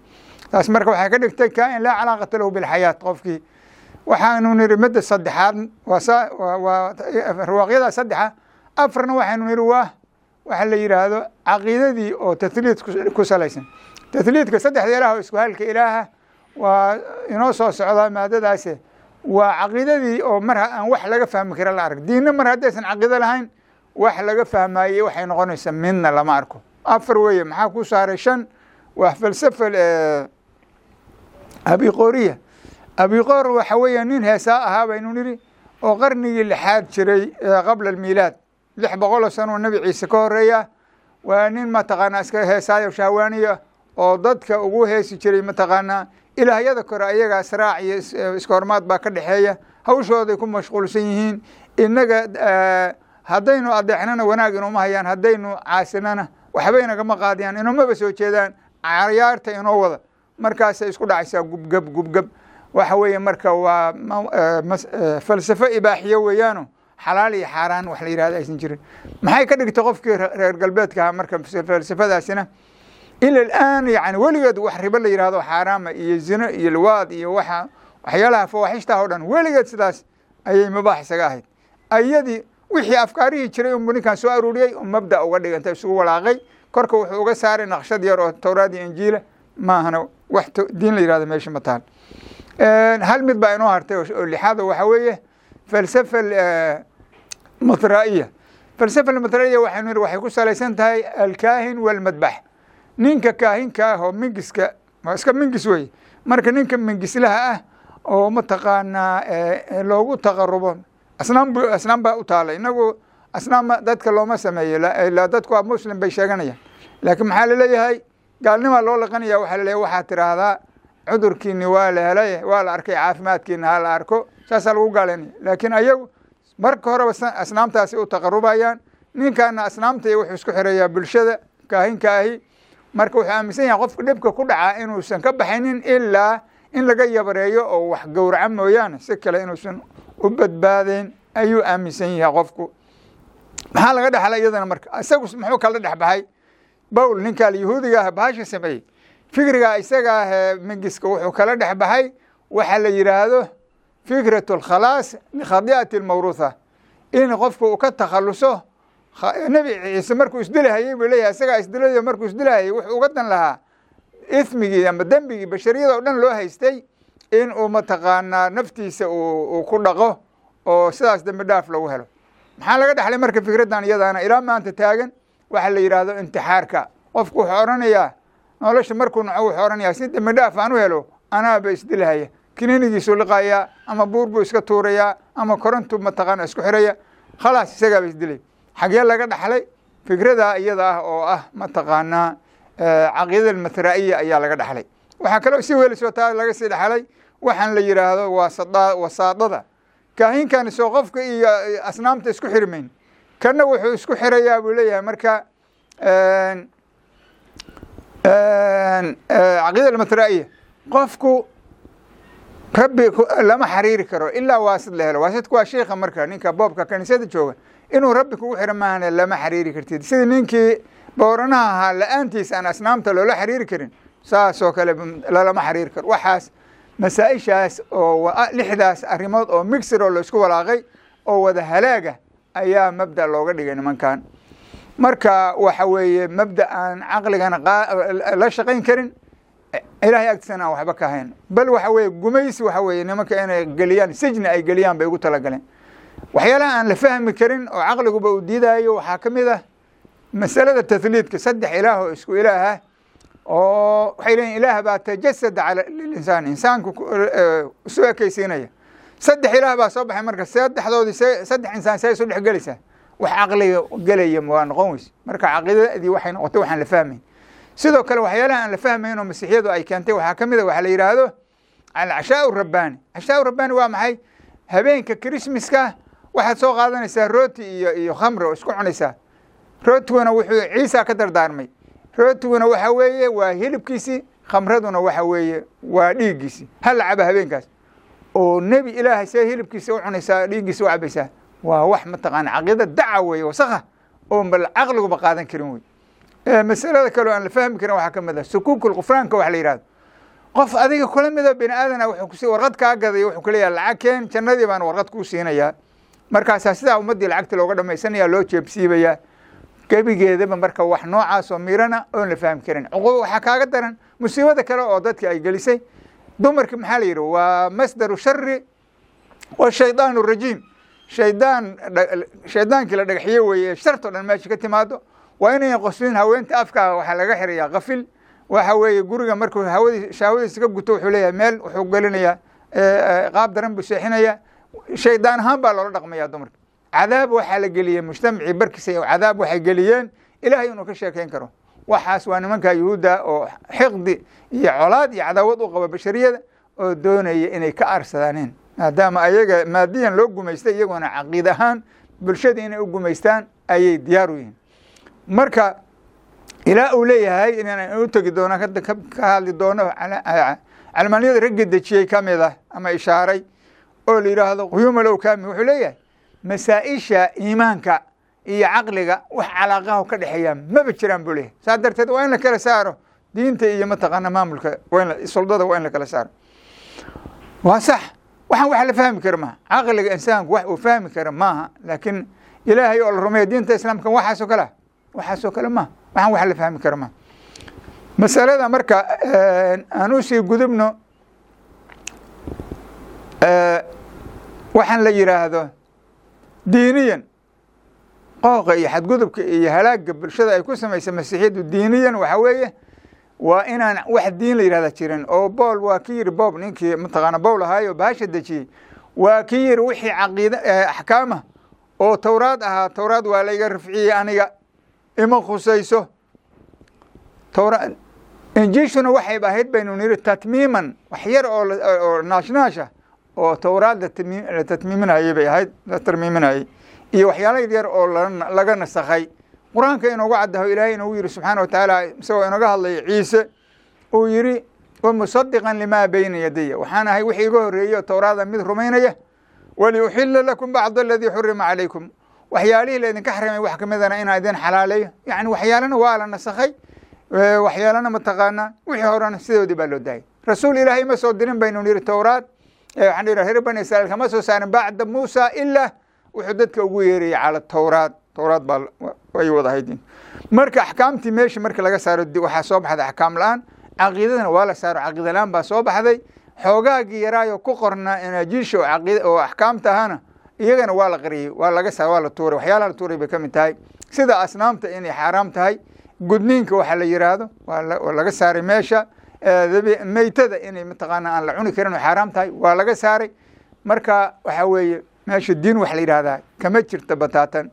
Taas marka waxay ka dhigtay kaa'in laa calaaqata lahu bilxayaat qofkii. Waxaanu nidhi midda saddexaad waa sa waa ruwaaqyada saddexa. Afarna waxaynu nidhi waa waxa la yidhaahdo caqiidadii oo tahliid ku salaysan. Tahliidka saddexda ilaah oo isku halka ilaaha waa inoo soo socdaa maadadaase. Waa caqiidadii oo mar aan wax laga fahmi kara la arag. Diinna mar haddaysan caqiido lahayn wax laga fahmaayey waxay noqonaysaa midna lama arko. Afar weeye. Maxaa ku saaray shan? Waa falsafa abiqooriya. Abiqoor waxa weeye nin heesaa ahaa baynu nidhi oo qarnigii lixaad jiray qabla almiilaad, lix boqoloo sano nebi Ciise ka horeeya. Waa nin mataqaanaa iska heesaayo shahwaaniya oo dadka ugu heesi jiray mataqaanaa ilaahyada kore ayaga israac iyo iska hormaad baa ka dhexeeya, hawshooday ku mashquulsan yihiin. Innaga haddaynu adeexnana wanaag inooma hayaan, haddaynu caasinana waxba inagama qaadiyaan, inoomaba soo jeedaan, cayaarta inoo wada. Markaasay isku dhacaysaa gubgab gubgab. Waxa weeye marka waa falsafo ibaaxiyo weeyaano, xalaal iyo xaaraan wax la yihahdo aysan jirin. Maxay ka dhigtay qofkii reer galbeedka ahaa marka falsafadaasina ila alaan? Yani weligeed wax ribo la yihahdo xaaraama iyo zino iyo liwaad iyo waxa waxyaalaha fawaaxishtaah o dhan weligeed sidaas ayay mubaax isaga ahayd. Ayadii wixii afkaarihii jiray unbu ninkan soo aruuriyey oo mabda uga dhigantay isugu walaaqay, korka wuxuu uga saaray naqshad yar oo towraad iyo injiila maahana, wax diin la yihahdo meesha ma taal. Hal mid baa inoo hartay oo lixaad oo waxa weeye falsafa matraa'iya. Falsafa matraa'iya waxaynu nidhi waxay ku salaysan tahay alkaahin walmadbax. Ninka kaahinka ah oo mingiska waa iska mingis wey. Marka ninka mingislaha ah oo mataqaanaa loogu taqarubo asnaam, asnaam baa u taala. Inagu asnaam dadka looma sameeyo, ilaa dadku waa muslim bay sheeganayaan, laakiin maxaa laleeyahay? Gaalnimaa loo laqanaya. Waxaa laleeyahay waxaa tiraahdaa cudurkiini waa la helay, waa la arkay, caafimaadkiina ha la arko, saasaa lagu gaalaynaya. Laakiin ayagu Marka horeba asnaamtaasi u taqarubayaan, ninkaana asnaamta iyo wuxuu isku xirayaa bulshada kaahinka ahi. Marka wuxuu aaminsan yahay qofka dhibka ku dhacaa inuusan ka baxaynin ilaa in laga yabareeyo oo wax gowraca mooyaane, si kale inuusan u badbaadayn ayuu aaminsan yahay qofku. Maxaa laga dhexlay iyadana? Marka isagu muxuu kala dhex baxay Bowl, ninkaa yahuudiga ah bahasha sameeyey, fikriga isaga ah mingiska wuxuu kala dhex baxay waxa la yidhaahdo fikratu alkhalaas likhadi'ati almawruutha, in qofku uu ka takhaluso. Nebi Ciise markuu isdilahayey buu leeyahay, isagaa isdilayo, markuu isdilahayey wuxuu uga dan lahaa ithmigii ama dembigii bashariyada oo dhan loo haystay in uu mataqaanaa naftiisa uu ku dhaqo oo sidaas dembi dhaaf lagu helo. Maxaa laga dhexlay marka fikraddan iyadaana ilaa maanta taagan? Waxa la yidhaahdo intixaarka. Qofku wuxuu odhanayaa nolosha markuu naco, wuxuu odhanayaa si dembi dhaaf aan u helo anaaba isdilahaya. Kiniinigiisuu liqayaa ama buur buu iska tuurayaa ama korantu mataqaana isku xiraya, khalaas isagaaba isdilay. Xagee laga dhaxlay fikradaa iyada ah oo ah mataqaanaa caqiidada almathraa'iya ayaa laga dhaxlay. Waxaa kaloo si welisoo taa laga sii dhaxlay waxaan la yidhaahdo waasada wasaadada. Kaahinkan soo qofka iyo asnaamta isku xirmayn, kana wuxuu isku xirayaa buu leeyahay. Marka caqiida almathraa'iya qofku rabbi lama xariiri karo ilaa waasid la helo. Waasidku waa sheikha, marka ninka boobka kaniisada jooga inuu rabbi kugu xiro maahane lama xariiri kartid. Sidii ninkii booranaha ahaa la-aantiis aan asnaamta loola xariiri karin, saasoo kale lalama xariiri karo. Waxaas masaa-ishaas oo lixdaas arrimood oo mixir oo laisku walaaqay oo wada halaaga ayaa mabda looga dhigay nimankan. Marka waxa weeye mabda aan caqligana la shaqayn karin, Ilaahay agtiisana aan waxba ka hayn, bal waxa weeye gumaysi. Waxa weeye nimanka inay geliyaan sijni ay geliyaan bay ugu talagaleen. Waxyaalaha aan la fahmi karin oo caqliguba uu diidayo waxaa ka mid ah masalada tahliidka, saddex ilaah oo isku ilaah ah, oo waxay leeyihin ilaah baa tajasada cala linsaan, insaanku isu ekeysiinaya. Saddex ilaah baa soo baxay, marka saddexdoodii saddex insaan see isu dhex gelaysaa? Wax caqliga gelaya waa noqon weyse. Marka caqiidadii waxay noqotay waxaan la fahmayn. Sidoo kale waxyaalaha aan la fahmayn oo masiixiyadu ay keentay waxaa ka mid a waxaa la yidhaahdo alcashaa rabbaani. Cashaa rabbaani waa maxay? Habeenka Christmaska waxaad soo qaadanaysaa rooti iyo iyo khamri oo isku cunaysaa. Rootiguna wuxuu Ciisa ka dardaarmay, rootiguna waxa weeye waa hilibkiisii, khamraduna waxa weeye waa dhiiggiisii. Ha la caba habeenkaas oo nebi Ilaahay see hilibkiisa u cunaysaa, dhiiggiisa u cabaysaa? Waa wax mataqaana caqiida daca weeye, wasakha oo bal caqliguba qaadan karin wey. Masalada kaleo aan la fahmi karin waxaa ka mid ah sukuukul qufraanka wax la yidhahdo. Qof adiga kula mida bini aadana wuxuu kusi warqad kaa gaday, wuxuu kuleeyahay lacag keen, jannadii baan warqad kuu siinayaa. Markaasaa sidaa ummaddii lacagta looga dhamaysanaya, loo jeebsiibayaa gebigeedaba. Marka wax noocaas oo miirana oon la fahmi karin. Cuquba waxaa kaaga daran musiibada kale oo dadka ay gelisay dumarki. Maxaa la yidhi? Waa masdaru shari wa shaydaan rajiim, shaydaan shaydaankii la dhagaxiye weeye, sharto dhan meesha ka timaado. Waa inayan qoslin haweenta, afkaa waxaa laga xirayaa qafil. Waxa weeye guriga markuu hawadii shahwadiisa ka guto wuxuu leeyahay meel wuxuu gelinayaa qaab daran buu seexinayaa. Shaydaan ahaan baa loola dhaqmaya dumarka. Cadaab waxaa la geliyey mujtamacii barkiisa, cadaab waxay geliyeen Ilaahay inuu ka sheekeyn karo. Waxaas waa nimanka yuhuudda oo xiqdi iyo colaad iyo cadaawad u qaba bashariyada oo doonaya inay ka arsadaaneen, maadaama ayaga maadiyan loo gumaystay, iyaguna caqiid ahaan bulshada inay u gumaystaan ayay diyaar u yihiin. Marka ilaa uu leeyahay inaan u tegi doono ka hadli doono calmaaniyada ragga dejiyey ka mid ah ama ishaaray oo la yidhaahdo Quyuum Alowkami, wuxuu leeyahay masaa-isha iimaanka iyo caqliga wax calaaqaha ka dhexeeya maba jiraan buu leeyahay. Saas darteed waa in la kala saaro diinta iyo mataqaana maamulka, waa in suldada waa in la kala saaro. Waa sax, waxaan wax la fahmi kara maaha, caqliga insaanku wax uu fahmi kara maaha. Laakiin Ilaahay oo la rumeeya, diinta islaamka, waxaasoo kale ah waxaasoo kale maaha, waxaan wax la fahmi kara maaha masalada. Marka aan usii gudubno waxaan la yidhaahdo diiniyan qooqa iyo xadgudubka iyo halaagga bulshada ay ku samaysa masiixiyaddu. Diiniyan waxa weeye waa inaan wax diin la yidhahda jirin, oo Bool waa ki yidhi, Bob ninkii mataqaana Bowl ahaay oo bahasha dejiyey waa ki yidhi wixii caqiida axkaama oo Towraad ahaa, Towraad waa layga rafciyey, aniga ima khusayso towra. Injiishuna waxayba ahayd baynu niri tatmiiman, wax yar oo oo naashnaasha oo towraad la tatmiiminayay bay ahayd, la tarmiiminayay iyo waxyaala yaryar oo laga nasakhay. Qur-aanka inoogu caddaho Ilaahay inoogu yidhi subxaana wa tacaala, isagoo inooga hadlaya Ciise, uu yidhi wamusadiqan limaa bayna yadaya, waxaan ahay wixii iga horreeyey oo towraada mid rumaynaya, waliuxila lakum bacda aladii xurima calaykum, waxyaalihii laydinka xarimay wax kamidana inaan idin xalaaleeyo. Yacni waxyaalana waa la nasakhay, waxyaalana mataqaanaa wixii horena sidoodii baa loo daayay. Rasuul Ilaahay ma soo dirin baynu nidhi towraad, waxaan dhihi reer Bani Israa'iil kama soo saarin bacda Muusa ilaa wuxuu dadka ugu yeerayay cala towraad. Towraad baa ay wada ahayd. Marka axkaamtii meesha marka laga saaro waxaa soo baxday axkaam la-aan, caqiidadana waa la saaro, caqiida la-aan baa soo baxday. Xoogaagii yaraayo ku qornaa inaajiisha oo caqiida oo axkaamta ahana iyagana waa la qariyey, waa laga saar, waa la tuuray. Waxyaalaha la tuuray bay ka mid tahay sida asnaamta inay xaaraam tahay, gudniinka waxa la yiraahdo waa laga saaray meesha, meytada inay mataqaana aan la cuni karin oo xaaraam tahay waa laga saaray. Marka waxa weeye meesha diin wax la yidhahdaa kama jirta bataatan.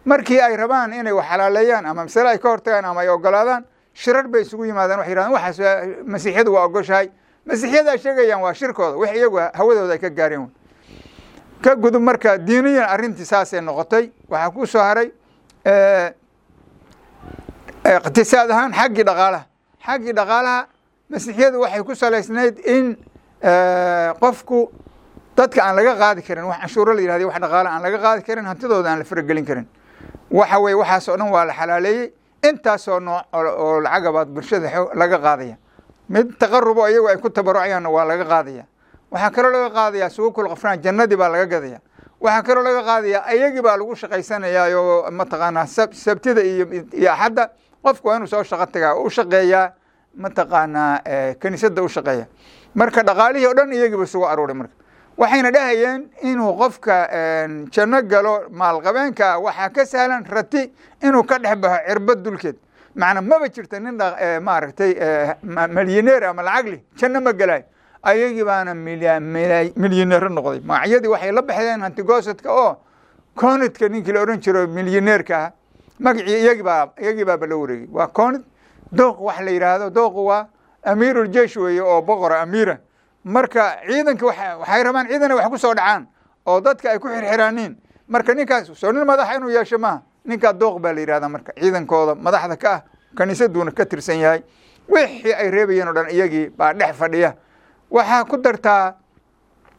Markii ay rabaan inay wax xalaaleeyaan ama masale ay ka hortagaan ama ay ogolaadaan, shirar bay isugu yimaadaan, waxay yidhahdaan waxaas masiixiyadu waa ogoshahay. Masiixiyada ay sheegayaan waa shirkooda, wax iyagu hawadooda ay ka gaareen ka gudub. Marka diiniyan arrintii saasay noqotay. Waxaa ku soo haray iqtisaad ahaan xaggii dhaqaalaha. Xaggii dhaqaalaha masiixiyadu waxay ku salaysnayd in qofku dadka aan laga qaadi karin wax canshuuro la yihahday, wax dhaqaala aan laga qaadi karin, hantidooda aan la faragelin karin. Waxa weye waxaas oo dhan waa la xalaaleeyey. Intaasoo nooc oo lacagabaad bulshada laga qaadaya, mid taqarubo iyagu ay ku tabarucayaanna waa laga qaadaya. Waxaa kaloo laga qaadaya suukul qafraan, jannadii baa laga gadaya. Waxaa kaloo laga qaadaya iyagii baa lagu shaqaysanayaa oo mataqaanaa sabtida iyo iyo axadda qofku waa inuu soo shaqo tagaa oo u shaqeeyaa mataqaanaa kiniisadda u shaqeeya. Marka dhaqaalihii oo dhan iyagiiba isugu aruuray. Marka waxayna dhahayeen inuu qofka janno galo maalqabeenka waxaa ka sahlan rati inuu ka dhex baxo cirbad dulkeed. Macnaa maba jirta nin maaragtay milyaneer ama lacag leh janno ma gelayo. Ayagii baana milyaneero noqday. Magacyadii waxay la baxdeen hantigoosadka oo conidka ninkii la odhan jiro milyaneerka ah, magacii iyagibaa iyagii baaba la wareegay. Waa conid dooq wax la yidhaahdo, dooqu waa amiirul-jeish weeye oo boqora amiira. Marka ciidanka waxay rabaan ciidana wax ku soo dhacaan oo dadka ay ku xirxiraaniin. Marka ninkaas soo nin madaxa inuu yeesho maaha, ninkaa dooq baa la yidhahdaa. Marka ciidankooda madaxda ka ah kaniisaduuna ka tirsan yahay, wixii ay reebayeen oo dhan iyagii baa dhex fadhiya. Waxaa ku dartaa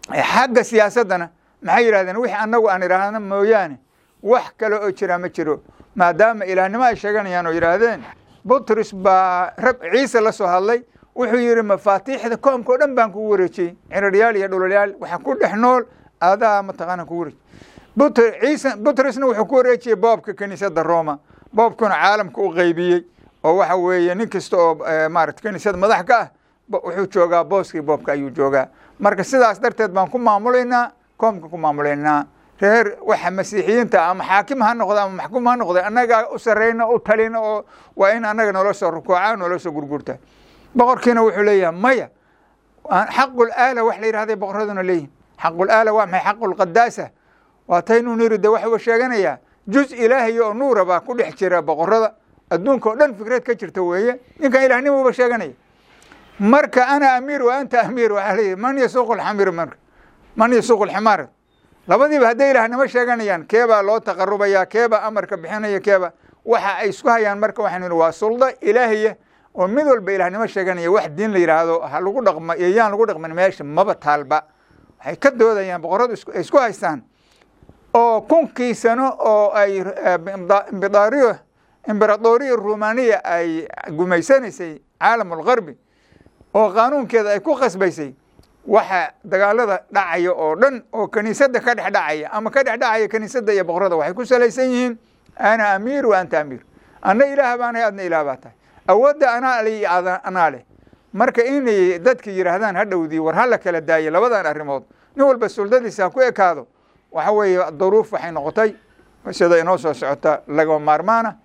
xagga siyaasaddana maxay yidhahdeen, wixii annagu aan idhaahno mooyaane wax kale oo jiraa ma jiro. Maadaama ilaahnimo ay sheeganayaan oo yidhaahdeen Butrus baa rab Ciise la soo hadlay, wuxuu yidhi mafaatiixda koomka oo dhan baan kugu wareejiyey, ciraryaal iyo dhulolyaal waxa ku dhex nool adaa mataqaana kugu wareejiyey. But Ciise Butrusna wuxuu ku wareejiyey boobka kiniisadda Roma, boobkuna caalamka u qaybiyey oo waxa weeye nin kasta oo maarata kiniisada madax ka ah wuxuu joogaa booskii boobka ayuu joogaa. Marka sidaas darteed baan ku maamulaynaa koomka ku maamulaynaa. Reer waxa masiixiyiinta ama xaakim ha noqda ama maxkuum ha noqda annagaa u sarreyna u talina oo waa in annaga noola soo rukuuca noola soo gurgurta. Boqorkiina wuxuu leeyahay maya, xaqul aala wax la yidhahday boqoraduna leeyihin. Xaqul aala waa maxay? Xaqul qadaasa waa taynuu niri de waxuu sheeganayaa juz ilaahay oo nuura baa ku dhex jira boqorada adduunka oo dhan fikrad ka jirta weeye. Ninkan ilaahnimuuba sheeganaya. Marka ana amiir wa anta amiir, waxaa leeyahay man yasuuqu alxamir, marka man yasuuqu alximaar. Labadiiba hadday ilaahnimo sheeganayaan keebaa loo taqarubaya, keebaa amarka bixinaya, keeba waxa ay isku hayaan. Marka waxaynu nihi waa sulda ilaahiya oo mid walba ilaahnimo sheeganaya. Wax diin la yidhaahdo ha lagu dhaqma iyo yaan lagu dhaqmin meesha maba taalba. Waxay ka doodayaan boqoradu ay isku haystaan oo kunkii sano oo ay imbidaariyo imberadoriya rumaniya ay gumaysanaysay caalamulgarbi oo qaanuunkeeda ay ku khasbaysay, waxa dagaalada dhacaya oo dhan oo kiniisadda ka dhex dhacaya ama ka dhex dhacaya kiniisadda iyo boqorada waxay ku salaysan yihiin ana amiir wa anta amiir, anna ilaah baanahay adna ilaah baa tahay, awoodda anaa le iyo anaa leh. Marka inay dadka yidhaahdaan hadhowdii war hala kala daayo labadan arrimood, nin walba suldadiisa ha ku ekaado, waxa weeye duruuf waxay noqotay sida inoo soo socota lagama maarmaana.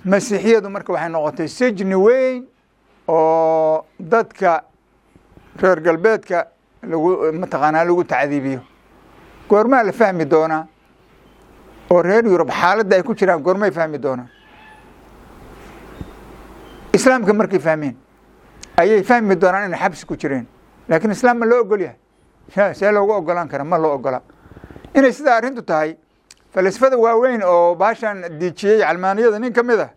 Masiixiyadu marka waxay noqotay sijni weyn oo dadka reer galbeedka lagu mataqaanaa lagu tacdiibiyo. Goormaa la fahmi doonaa oo reer Yurub xaaladda ay ku jiraan goormay fahmi doonaa? Islaamka markay fahmeen ayay fahmi doonaan inay xabsi ku jireen, laakiin islaam ma loo ogol yahay? See loogu ogolaan kara? Ma loo ogola. Inay sidaa arrintu tahay, falasfada waaweyn oo baashan diijiyey calmaaniyada nin ka mid ah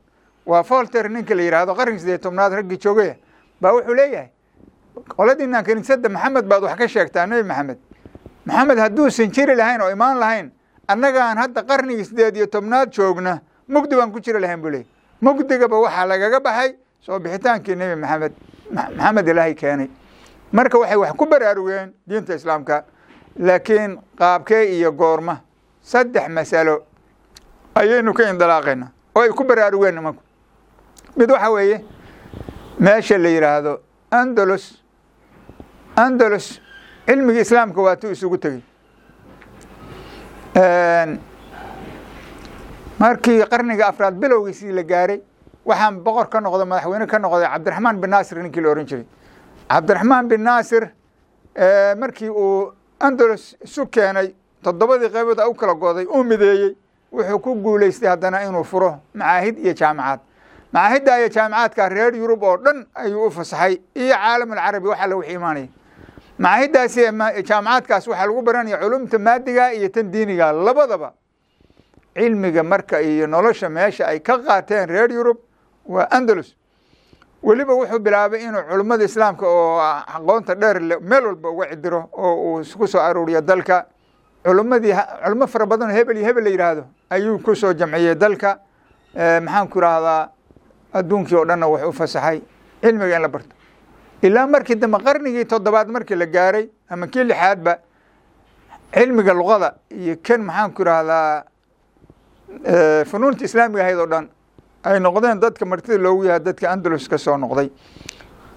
waa Voltaire, ninka la yidhaahdo, qarniga sideed tobnaad raggii joogaya baa wuxuu leeyahay: qoladiinaan kiniisadda, Maxamed baad wax ka sheegtaa, Nebi Maxamed, Maxamed hadduusan jiri lahayn oo imaan lahayn, annagaan hadda qarnigii sideed iyo tobnaad joogna mugdi baan ku jiri lahayn, buu leeyay. Mugdigaba waxaa lagaga baxay soo bixitaankii Nebi Maxamed, Maxamed Ilaahay keenay. Marka waxay wax ku baraarugeen diinta Islaamka, laakiin qaabkee iyo goorma? Saddex masalo ayaynu ka indilaaqaynaa oo ay ku baraarugeen nimanku. Mid waxa weeye meesha la yidhaahdo Andalus. Andalus cilmigii Islaamka waatuu isugu tegey markii qarniga afraad bilowgiisii la gaaray. Waxaan boqor ka noqday, madaxweyne ka noqday, Cabdiraxmaan bin Naasir ninkii la ohan jiray. Cabdiraxmaan bin Naasir markii uu Andalus isu keenay, toddobadii qaybood u kala goday uu mideeyey, wuxuu ku guulaystay haddana inuu furo macaahid iyo jaamacaad. Macaahidda iyo jaamacaadka reer Yurub oo dhan ayuu u fasaxay iyo caalam alcarabi waxa la wixii imaanaya. Macaahiddaasi jaamacaadkaas waxaa lagu baranaya culumta maadiga iyo tan diiniga labadaba. Cilmiga marka iyo nolosha meesha ay ka qaateen reer Yurub waa Andalus. Weliba wuxuu bilaabay inuu culummada Islaamka oo aqoonta dheer meel walba uga cidiro oo uu ku soo aruuriyo dalka. Culummadii, culummo fara badan oo hebel iyo hebel la yidhaahdo ayuu ku soo jamciyey dalka. Maxaan ku idhaahdaa, adduunkii oo dhanna wuxuu u fasaxay cilmiga in la barto, ilaa markii dambe qarnigii toddobaad markii la gaaray ama kii lixaadba, cilmiga luqada iyo kan, maxaan ku idhaahdaa, funuunta islaamiga ahayd oo dhan ay noqdeen dadka martida loogu yahay dadka Andalus ka soo noqday.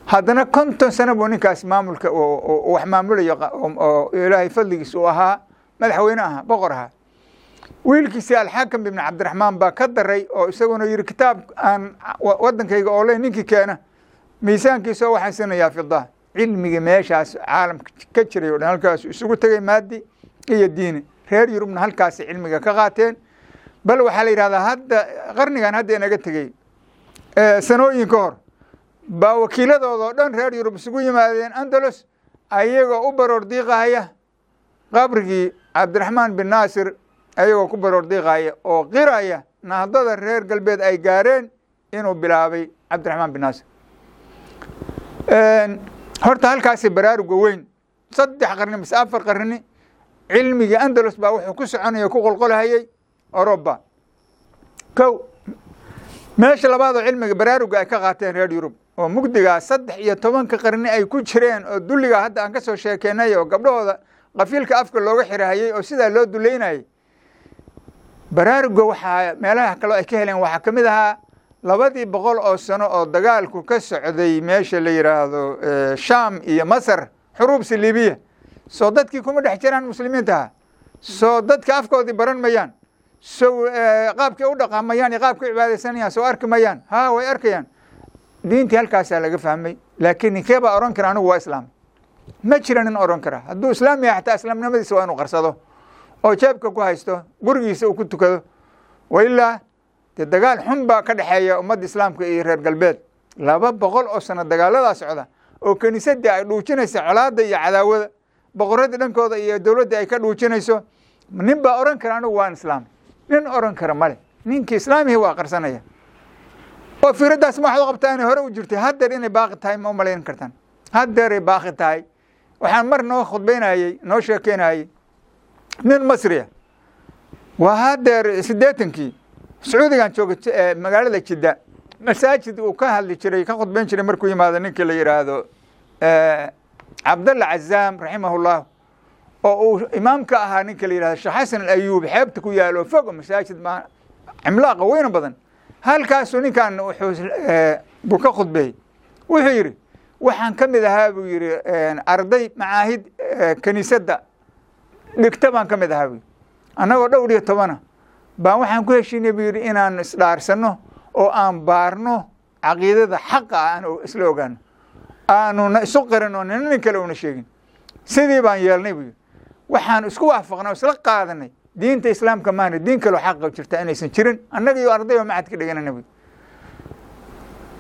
Haddana konton sano buu ninkaas maamulka wax maamulayo oo Ilaahay fadligiis uu ahaa madaxweyne ahaa, boqor ahaa. Wiilkiisii Alxaakam ibn Cabdiraxmaan baa ka daray oo isaguna yihi: kitaab aan wadankayga oo le ninkii keena miisaankiisa waxaan siinayaa fida. Cilmigii meeshaas caalamka ka jiray o dhan halkaas isugu tegay, maadi iyo diini. Reer Yurubna halkaasi cilmiga ka qaateen. Bal waxaa la yidhahdaa hadda qarnigan hadda inaga tegey sanooyin ka hor baa wakiiladooda oo dhan reer Yurub isugu yimaadeen Andalus, ayagoo u baroor diiqahaya qabrigii Cabdiraxmaan bin Naasir, ayagoo ku baroor diiqaya oo qiraya nahdada reer galbeed ay gaareen inuu bilaabay Cabdiraxmaan bin Naasir. Horta halkaasi baraaruga weyn, saddex qarni mise afar qarni, cilmigii Andalus baa wuxuu ku soconaya, ku qolqolahayay Oroba. Kow, meesha labaad oo cilmiga baraaruga ay ka qaateen reer Yurub oo mugdigaa saddex iyo tobanka qarni ay ku jireen oo dulligaa hadda aan ka soo sheekeynay oo gabdhahooda qafiilka afka looga xirahayey oo sidaa loo duleynayay, baraaruga waxaa meelaha kaloo ay ka heleen waxaa ka mid ahaa labadii boqol oo sano oo dagaalku ka socday meesha la yidhaahdo Sham iyo Masar, xuruub saliibiya. Soo dadkii kuma dhex jiraan muslimiintaha? Soo dadka afkoodii baran mayaan? Sow qaabkay u dhaqamayaan iyo qaabkay u cibaadaysanayaan soo arki mayaan? Ha, way arkayaan. Diintii halkaasaa laga fahmay. Laakiin ninkee baa odhan kara anigu waa islaam? Ma jira nin odhan kara. Hadduu islaam yahay xataa islaamnimadiisa waa inuu qarsado oo jeebka ku haysto, gurigiisa uu ku tukado. Wailaa dee dagaal xun baa ka dhexeeya ummadda Islaamka iyo reer galbeed, laba boqol oo sano dagaaladaa socda oo kiniisadii ay dhuujinaysa colaadda iyo cadaawada, boqoradii dhankooda iyo dowladdii ay ka dhuujinayso. Nin baa odhan kara anigu waan islaam? Nin odhan kara male. Ninkii islaamihii waa qarsanaya. Oo firaddaas ma waxaad u qabtaa inay hore u jirtay? Haddeer inay baaqi tahay ma umalayn kartaan? Haddeeray baaqi tahay. Waxaan mar noo khudbaynayey, noo sheekeynayey nin Masriya, waa haddeer siddeetankii, Sacuudigan jooga, magaalada Jidda, masaajid uu ka hadli jiray, ka khudbayn jiray markuu yimaado ninkii la yidhaahdo Cabdalla Cazaam raximahullah, oo uu imaamka ahaa ninka la yidhahdo Sheekh Xasan Alayuub, xeebta ku yaalo fog, masaajid ma cimlaaqa weyna badan, halkaasuu ninkan wuxuu buu ka khudbeeyey. Wuxuu yidhi: waxaan ka mid ahaa, buu yidhi, arday macaahid kiniisadda dhigta baan ka mid ahaa, buu yidhi. Annagoo dhowr iyo tobana baan waxaan ku heshiinay, buu yidhi, inaan isdhaarsano oo aan baarno caqiidada xaqa ah, aan isla ogaano, aanuna isu qarin oo nina nin kale una sheegin. Sidii baan yeelnay, buu yidhi. Waxaan isku waafaqnay oo isla qaadanay diinta Islaamka maana diin kaloo xaqa jirta inaysan jirin, annaga iyo arday oo macad ka dhiganana, buu.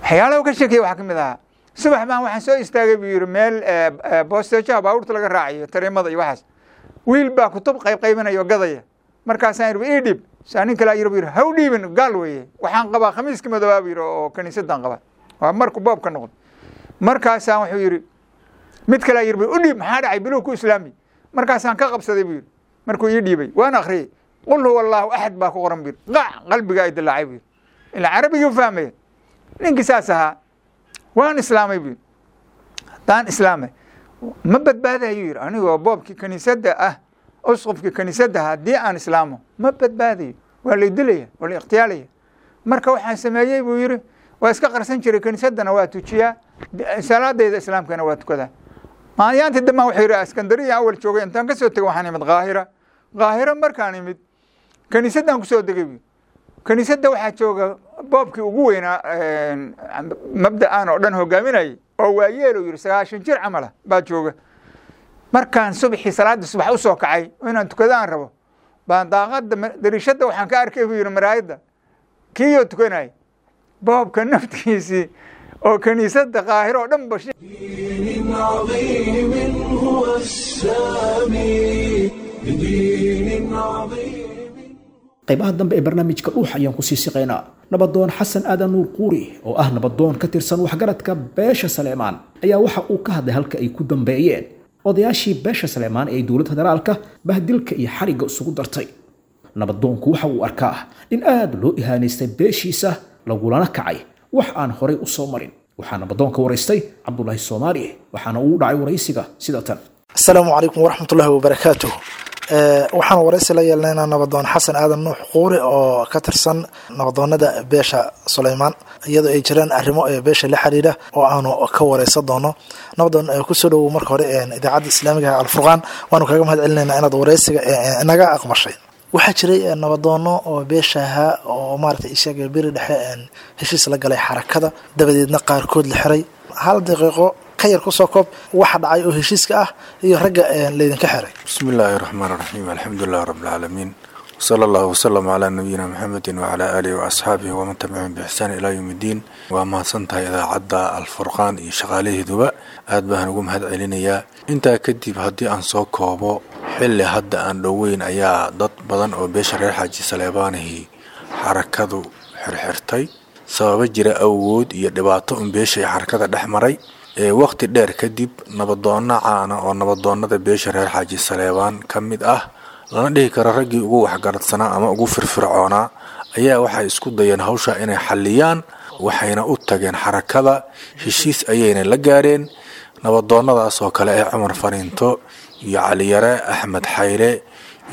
Waxyaalaha ka sheekaya waxaa ka mid ahaa Subax baan waxaan soo istaagay buu yidhi meel boosteejaha baabuurta laga raacayo, tareemada iyo waxaas. Wiil baa kutub qayb qaybinaya oo gadaya. Markaasaan yidhi ii dhiib. Saa nin kale yidhi buu yidhi ha u dhiibin, gaal weeye, waxaan qabaa khamiiska madoobaa buu yidhi oo kaniisadaan qabaa. Waa markuu boobka noqdo. Markaasaan wuxuu yidhi mid kale yidhi u dhiib, maxaa dhacay, biluu ku islaami. Markaasaan ka qabsaday buu yidhi. Markuu ii dhiibay waan akhriyey, qul huwa allahu axad baa ku qoran buu yidhi. Qac qalbiga ay dilaacay buu yidhi, ilaa carabigii u fahmaya. Ninkii saas ahaa waan islaamay buu yidhi. Haddaan islaamay ma badbaadayo yidhi, anigoo boobkii kaniisadda ah, usqufkii kaniisadda haddii aan islaamo ma badbaadayo, waa lay dilaya, waa la ikhtiyaalaya. Marka waxaan sameeyey buu yidhi, waa iska qarsan jiray, kaniisaddana waa tujiyaa, salaadayda islaamkana waa tukadaa. Maayaantii dambaan wuxuu yidhi Iskandariya awal joogay, intaan ka soo tegay waxaan imid Qaahira. Qaahira markaan imid kaniisaddan kusoo degay buu. Kaniisadda waxaa jooga boobkii ugu weynaa mabda'an oo dhan hogaaminayay oo waayeel uu yidhi sagaashan jir camal ah baa jooga. Markaan subaxii salaadda subax u soo kacay oo inaan tukado aan rabo, baan daaqadda dariishadda waxaan ka arkay buu yidhi maraayadda kiiyoo tukanayay boobka naftiisii oo kaniisadda Qaahiro oo dhan ba. دين عظيم هو السامي، بدين عظيم. Qaybaha dambe ee barnaamijka Dhuux ayaan kusii siqaynaa. Nabadoon Xasan Aadan Nuur Quuri oo ah nabadoon ka tirsan waxgaradka beesha Saleemaan ayaa waxa uu ka hadlay halka ay ku dambeeyeen odayaashii beesha Saleemaan ee dowladda federaalka bahdilka iyo xarigga isugu dartay. Nabadoonku waxa uu arkaa in aad loo ihaanaystay beeshiisa, lagulana kacay wax aan horay u soo marin. Waxaa nabadoonka waraystay Cabdulaahi Soomaali, waxaana uu dhacay waraysiga sida tan. Asalaamu calaykum waraxmatullaahi wabarakaatuh. Waxaan waraysi la yeelnaynaa nabadoon Xasan Aadan Nuux Quuri oo ka tirsan nabadoonada beesha Suleymaan, iyadoo ay jiraan arrimo ee beesha la xiriira oo aanu ka wareysan doono. Nabadoon, kusoo dhowow marka hore idaacadda islaamiga Alfurqaan, waanu kaga mahad celinaynaa inaad wareysiga inaga aqmashay. Waxaa jiray nabadoono oo beesha ahaa oo maaragtay ishaga beri dhexe heshiis la galay xarakada, dabadeedna qaarkood la xiray. Hal daqiiqo ka yar kusoo koob waxa dhacay oo heshiiska ah iyo ragga laydinka xiray. بسم الله الرحمن الرحيم، الحمد لله رب العالمين، وصلى الله وسلم على نبينا محمد وعلى آله وأصحابه ومن تبعهم بإحسان إلى يوم الدين. Waa mahadsantahay idaacadda Alfurqaan iyo shaqaalaheeduba, aad baan ugu mahad celinayaa. Intaa kadib haddii aan soo koobo, xilli hadda aan dhoweyn ayaa dad badan oo beesha reer Xaaji Saleebaanihi xarakadu xirxirtay sababo jira awgood iyo dhibaato un beesha ay xarakada dhex maray. Ee waqti dheer kadib nabadoonno caana oo nabadoonnada beesha reer Xaaji Saleebaan ka mid ah, lana dhihi karo raggii ugu waxgaradsanaa ama ugu firfircoonaa, ayaa waxay isku dayeen hawsha inay xalliyaan, waxayna u tageen xarakada, heshiis ayayna la gaareen. Nabadoonnadaas oo kale ee Cumar Fariinto iyo Caliyare Axmed Xayle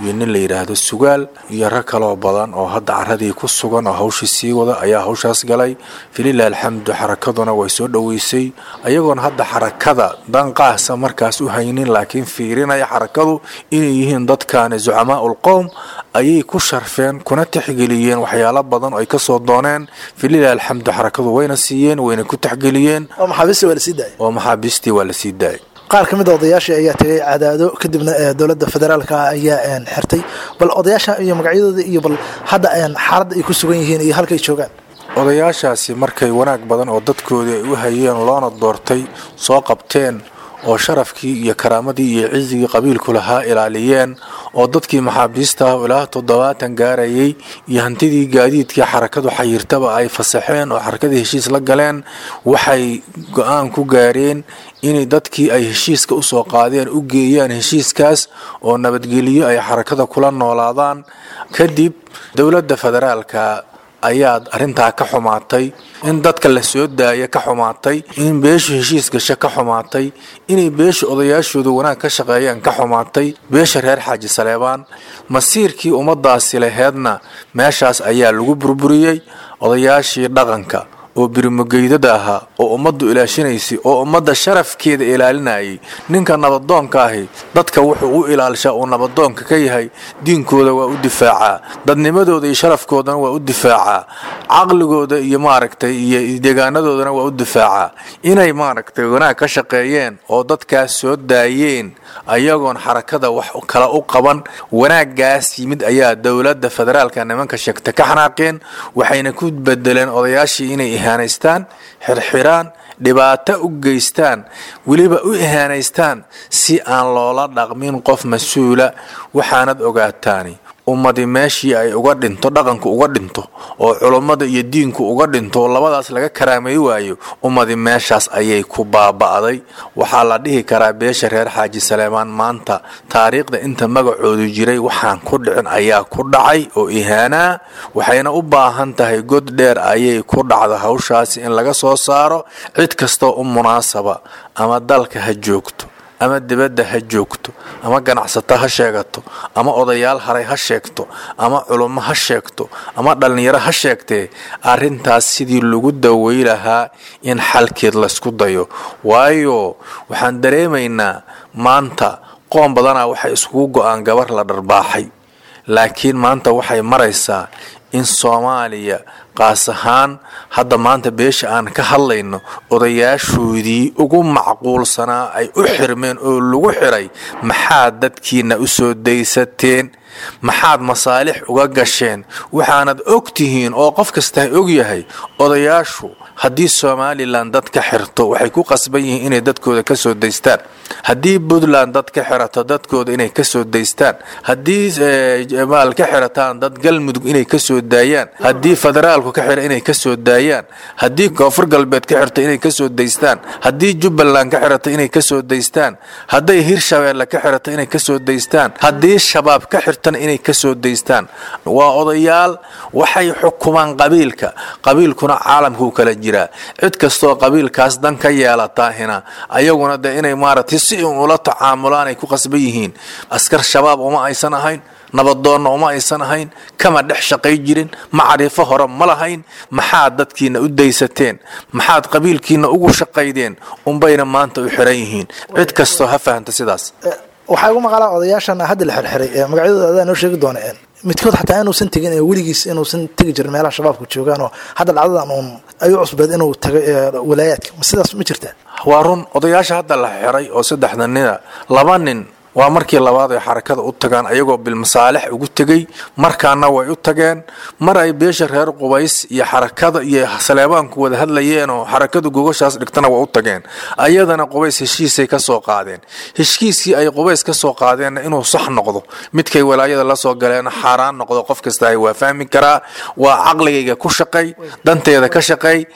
iyo nin la yidhaahdo Sugaal iyo rag kaloo badan oo hadda caradii ku sugan oo hawshii sii wada ayaa hawshaas galay. Falilah alxamdu, xarakaduna way soo dhoweysay, ayagoon hadda xarakada danqaasa markaas u haynin, laakiin fiirinaya xarakadu inay yihiin dadkaani zucamaa ulqowm, ayay ku sharfeen kuna tixgeliyeen waxyaalo badan oo ay kasoo dooneen. Falilah alxamdu, xarakadu wayna siiyeen, wayna ku tixgeliyeen. Oo maxaabiistii waa lasii daayay. Oo maxaabiistii waa lasii daayay. Qaar ka mid a odayaashii ayaa tegay Cadaado, kadibna dowladda federaalka ayaa xirtay. Bal odayaasha iyo magacyadooda iyo bal hadda xaaladda ay ku sugan yihiin iyo halkay joogaan. Odayaashaasi markay wanaag badan oo dadkoodii ay u hayeen loona doortay soo qabteen, oo sharafkii iyo karaamadii iyo cizigii qabiilku lahaa ilaaliyeen, oo dadkii maxaabiista ah ilaa toddobaatan gaarayay iyo hantidii gaadiidkii xarakadu xayirtaba ay fasaxeen oo xarakadii heshiis la galeen, waxay go-aan ku gaareen inay dadkii ay heshiiska usoo qaadeen u geeyaan heshiiskaas oo nabadgeliyo ay xarakada kula noolaadaan. Kadib dowladda federaalka ayaa arrintaa ka xumaatay, in dadka la soo daaya ka xumaatay, in beeshu heshiis gasho ka xumaatay, inay beeshu odayaashoodu wanaag ka shaqeeyaan ka xumaatay. Beesha reer Xaaji Saleebaan masiirkii ummadaasi laheedna meeshaas ayaa lagu burburiyey. Odayaashii dhaqanka oo birimogeydada ahaa oo ummaddu ilaashinaysay oo ummadda sharafkeeda ilaalinayay, ninka nabadoonka ahi dadka wuxuu u ilaalishaa uu nabadoonka ka yahay diinkooda waa u difaacaa, dadnimadooda iyo sharafkoodana waa u difaacaa, caqligooda iyo maaragtay iyo deegaanadoodana waa u difaacaa. Inay maaragtay wanaag ka shaqeeyeen oo dadkaas soo daayeen ayagoon xarakada wax kala u qaban, wanaaggaas yimid ayaa dowladda federaalka nimanka sheegta ka xanaaqeen, waxayna ku bedeleen odayaashii inay ihaanaystaan, xirxiraan, Dhibaato u geystaan, weliba u ihaanaystaan si aan loola dhaqmin qof mas-uula. Waxaanad ogaataani, ummadi meeshii ay uga dhinto dhaqanku, uga dhinto oo culummada iyo diinku uga dhinto, labadaas laga karaamay waayo, ummadi meeshaas ayay ku baaba'day. Waxaa la dhihi karaa beesha reer Xaaji Saleemaan maanta taariikhda inta magacoodu jiray waxaan ku dhicin ayaa ku dhacay oo ihaanaa, waxayna u baahan tahay god dheer ayay ku dhacda hawshaasi in laga soo saaro. Cid kastoo u munaasaba, ama dalka ha joogto ama dibadda ha joogto, ama ganacsato ha sheegato, ama odayaal haray ha sheegto, ama culummo ha sheegto, ama dhallinyaro ha sheegtee, arrintaas sidii lagu dawey lahaa in xalkeed laysku dayo. Waayo, waxaan dareemaynaa maanta qoon badanaa waxay iskugu go-aan gabar la dharbaaxay, laakiin maanta waxay maraysaa in Soomaaliya qaas ahaan hadda maanta beesha aan ka hadlayno odayaashoodii ugu macquulsanaa ay u xirmeen oo lagu xiray. Maxaad dadkiina u soo daysateen? Maxaad masaalix uga gasheen? Waxaanad og tihiin oo qof kastaa og yahay, odayaashu haddii Somalilan dad ka xirto waxay ku qasban yihiin inay dadkooda ka soo daystaan, haddii Puntland dad ka xirato dadkooda inay ka soo daystaan, haddii maal ka xirataan dad Galmudug inay ka soo daayaan, haddii federaalku ka xira inay ka soo daayaan, haddii Koonfur Galbeed ka xirto inay ka soo daystaan, haddii Jubbaland ka xirato inay ka soo daystaan, hadday Hirshabeelle ka xirato inay ka soo daystaan, haddii Shabaab ka xirtana inay ka soo daystaan. Waa odayaal, waxay xukumaan qabiilka, qabiilkuna caalamkuu kala jiraa. Cid kastoo qabiilkaas dan ka yeelataahina ayaguna dee inay maaragtay si un ula tacaamulaan ay ku qasban yihiin. Askar Shabaab uma aysan ahayn, nabadoonna uma aysan ahayn, kama dhex shaqay jirin, macrifo hore ma lahayn. Maxaad dadkiina u daysateen? Maxaad qabiilkiina ugu shaqaydeen? Unbayna maanta u xiran yihiin. Cid kastoo ha fahamta sidaas. Waxaa igu maqalaa odayaashan hadda la xirxiray, magacyadooda adaa noo sheegi doona, midkood xataa inuusan tegin, weligiis inuusan tegi jirin meelaha Shabaabku joogaan, oo hadda dhacdadan uun ayuu cusbeed inuu tagay walaayaadka. Ma sidaas ma jirtaa? Waa run. Odayaasha hadda la xiray oo saddexda nina, laba nin waa markii labaad ay xarakada u tagaan ayagoo bilmasaalix ugu tegey. Markaana way u tageen mar ay beesha reer Qubays iyo xarakada iyo Saleebaanku wada hadlayeen oo xarakadu gogoshaas dhigtana waa u tageen. Ayadana Qubays heshiisay ka soo qaadeen. Heshiiskii ay Qubays ka soo qaadeenna inuu sax noqdo, midkay walaayada la soo galeena xaaraan noqdo, qof kasta ay waa fahmi karaa. Waa caqligayga ku shaqay, danteeda ka shaqay.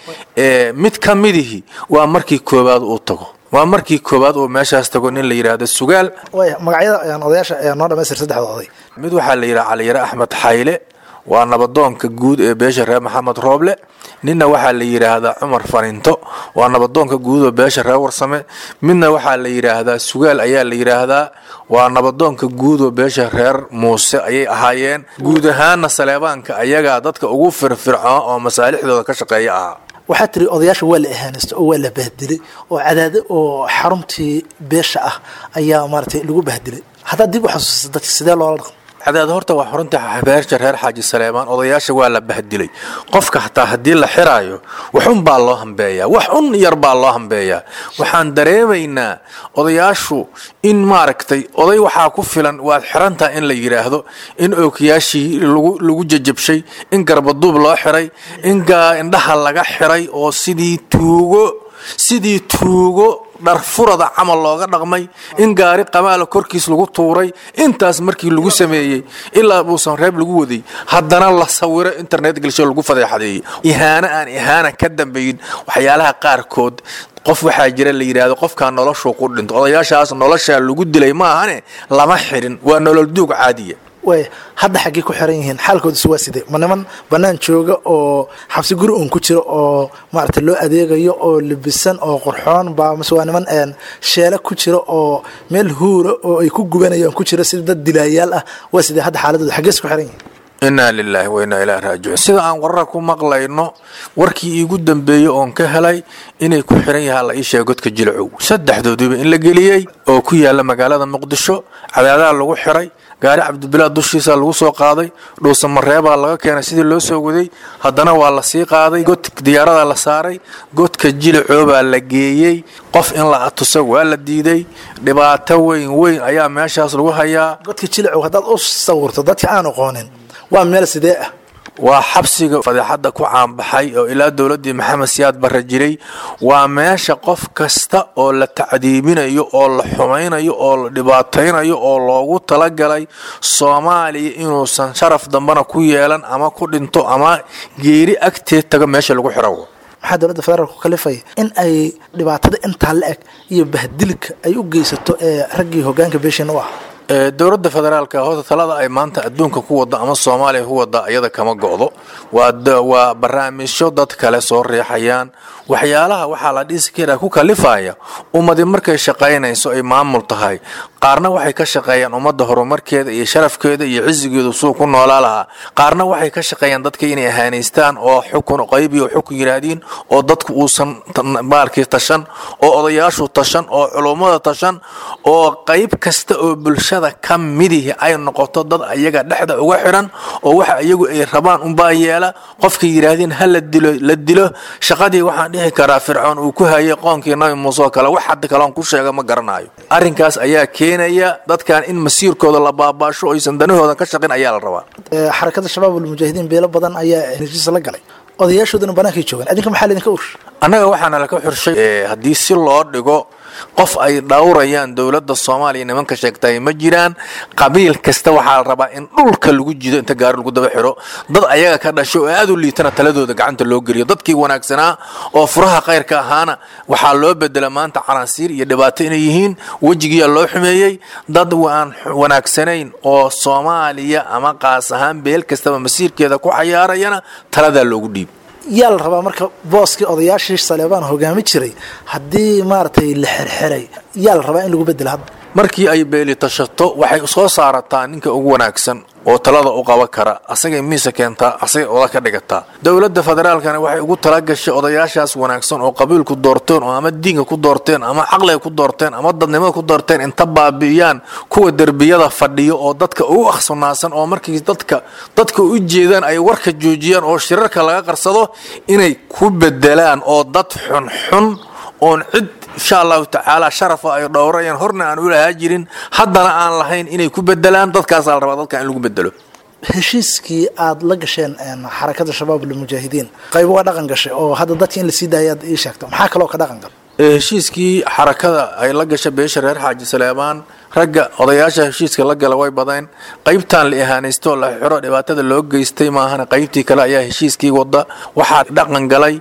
Mid ka midihi waa markii koowaad uu tago, waa markii koowaad uu meeshaas tago, nin la yidhaahdo Sugaal. Waaya, magacyada odayaasha noo dhamaystir, saddexda oday. Mid waxaa la yidhaha Caliyare Axmed Xayle, waa nabadoonka guud ee beesha reer Maxamed Rooble. Ninna waxaa la yidhaahdaa Cumar Farinto, waa nabadoonka guud oo beesha reer Warsame. Midna waxaa la yidhaahdaa Sugaal ayaa la yidhaahdaa, waa nabadoonka guud oo beesha reer Muuse ayay ahaayeen. Guud ahaana Saleebaanka ayagaa dadka ugu firfircoon oo masaalixdooda ka shaqeeya ahaa. Waxaa tiri odayaasha waa la ihaanaysta oo waa la bahdilay, oo Cadaado oo xaruntii beesha ah ayaa maaragtay lagu bahdilay. Haddaad dib u xasuusta, dadka sidee loola dhaqmo? Cadaad horta waa xurunta beesha reer Xaaji Saleemaan. Odayaasha waa la bahdilay. Qofka xataa haddii la xiraayo wax un baa loo hambeeyaa, wax un yar baa loo hambeeyaa. Waxaan dareemaynaa odayaashu in maaragtay oday waxaa ku filan waad xirantaha in la yidhaahdo, in ookiyaashii lagu lagu jajabshay, in garbaduub loo xiray, in indhaha laga xiray oo sidii tuugo sidii tuugo dharfurada camal looga dhaqmay, in gaari qamaala korkiis lagu tuuray. Intaas markii lagu sameeyey ilaa uusan reeb lagu waday, haddana la sawiro internet gelsho lagu fadeexadeeyey. Ihaano aan ihaana ka dambayn. Waxyaalaha qaarkood qof waxaa jira la yidhaahdo qofkaa noloshuu ku dhinto. Odayaashaas noloshaa lagu dilay maahane lama xirin, waa nolol duug caadiya. Waaya, hadda xaggey ku xiran yihiin? Xaalkoodusu waa sidee? Ma niman banaan jooga oo xabsi guri uun ku jiro oo maaragtay loo adeegayo oo libisan oo qurxoon baa, mase waa niman sheele ku jira oo meel huura oo ay ku gubanayaan ku jira sida dad dilaayaal ah? Waa sidee hadda xaaladooda? Xaggees ku xiran yihiin? Inaa lilaahi wa innaa ilaahi raajicuun. Sida aan warara ku maqlayno, warkii iigu dambeeyey oon ka helay inay ku xiran yahaa la ii sheegay godka Jilacow, saddexdooduba in la geliyey oo ku yaala magaalada Muqdisho. Cadaadaha lagu xiray, gaari Cabdibilaad dushiisa lagu soo qaaday, Dhuusamareebaa laga keenay sidii loo soo waday, haddana waa la sii qaaday, god diyaaradaa la saaray, godka Jilacoobaa la geeyey. Qof in la atuso waa la diiday. Dhibaato weyn weyn ayaa meeshaas lagu hayaa. Godka Jilacow haddaad u sawirto dadka aan aqoonin, waa meel sidee ah? Waa xabsiga fadeexadda ku caanbaxay oo ilaa dowladdii Maxamed Siyaad Barre jiray. Waa meesha qof kasta oo la tacdiibinayo oo la xumaynayo oo la dhibaataynayo oo loogu talagalay Soomaaliya inuusan sharaf dambana ku yeelan ama ku dhinto ama geeri agteed tago meesha lagu xiro. Maxaa dowladda federaalku kalifaya in ay dhibaatada intaa la eg iyo bahdilka ay u geysato ee raggii hogaanka beeshin u ah? Dowladda federaalka horta talada ay maanta adduunka ku wada ama Soomaaliya ku wada iyada kama go'do. waa waa barnaamijyo dad kale soo riixayaan. Waxyaalaha waxaa la dhisi karaa ku kalifaya ummadi markay shaqaynayso ay maamul tahay, qaarna waxay ka shaqeeyaan ummadda horumarkeeda iyo sharafkeeda iyo cisigeedu suu ku noolaa lahaa, qaarna waxay ka shaqeeyaan dadka inay ahaanaystaan oo xukun qayb iyo xukun yiraahdeen oo dadku uusan maalkii tashan oo odayaashu tashan oo culummada tashan oo qayb kasta oo bulshada ka midihi ay noqoto dad ayaga dhexda uga xiran oo waxa iyagu ay rabaan unbaa yeela. Qofkii yiraahdeen ha la dilo la dilo. Shaqadii waxaan dhihi karaa Fircoon uu ku hayay qoonkii Nabi Muuse oo kale, wax hadda kale aan ku sheega ma garanayo. Arrinkaas ayaa keenaya dadkan in masiirkooda la baabaasho oysan danahooda ka shaqin ayaa la rabaa. Xarakada Shabaab Almujaahidiin beelo badan ayaa heshiis la galay, odayaashooduna banaankay joogaan, adinka maxaa laydinka urshay? Annaga waxaana laka xurshay haddii si loo dhigo qof ay dhowrayaan dowladda Soomaaliya nimanka sheegtay ma jiraan. Qabiil kasta waxaa la rabaa in dhulka lagu jido inta gaari lagu daba xiro, dad ayaga ka dhashay oo aad u liitana taladooda gacanta loo geliyo. Dadkii wanaagsanaa oo furaha khayrka ahaana waxaa loo bedela maanta canaasiir iyo dhibaato inay yihiin, wejigiyaa loo xumeeyey. Dad aan wanaagsanayn oo Soomaaliya ama qaas ahaan beel kastaba masiirkeeda ku xayaarayana taladaa loogu dhiib. Yaa la rabaa marka booskii odayaashii Saleebaan hogaami jiray haddii maaragtay la xirxiray, yaa la rabaa in lagu bedelo hadda? Markii ay beeli tashato waxay soo saarataa ninka ugu wanaagsan oo talada u qaban kara, asagay miisa keentaa, asagay oda ka dhigataa. Dowladda federaalkana waxay ugu talagashay odayaashaas wanaagsan oo qabiilku doorteen oo ama diinka ku doorteen ama caqliga ku doorteen ama dadnimada ku doorteen inta baabi'iyaan kuwa derbiyada fadhiyo oo dadka ugu akhsunaasan oo markii dadka dadka u jeedaan ay warka joojiyaan oo shirarka laga qarsado inay ku bedelaan oo dad xunxun oon cid insha Allahu tacaala sharafa ay dhowrayaan horna aan u lahaa jirin haddana aan lahayn inay ku bedelaan. Dadkaasaa la rabaa dadka in lagu bedelo. Heshiiskii aad la gasheen xarakada Shabaab Almujaahidiin qayb waa dhaqan gashay oo hadda dadka in lasii daayaad ii sheegto, maxaa kaloo ka dhaqan galay? Heshiiskii xarakada ay la gashay beesha reer Xaaji Saleebaan, ragga odayaasha heshiiska la gala way badeen. Qaybtan la ihaanaysto la xiro dhibaatada loo geystay maahana qaybtii kale ayaa heshiiskii wada. Waxaa dhaqan galay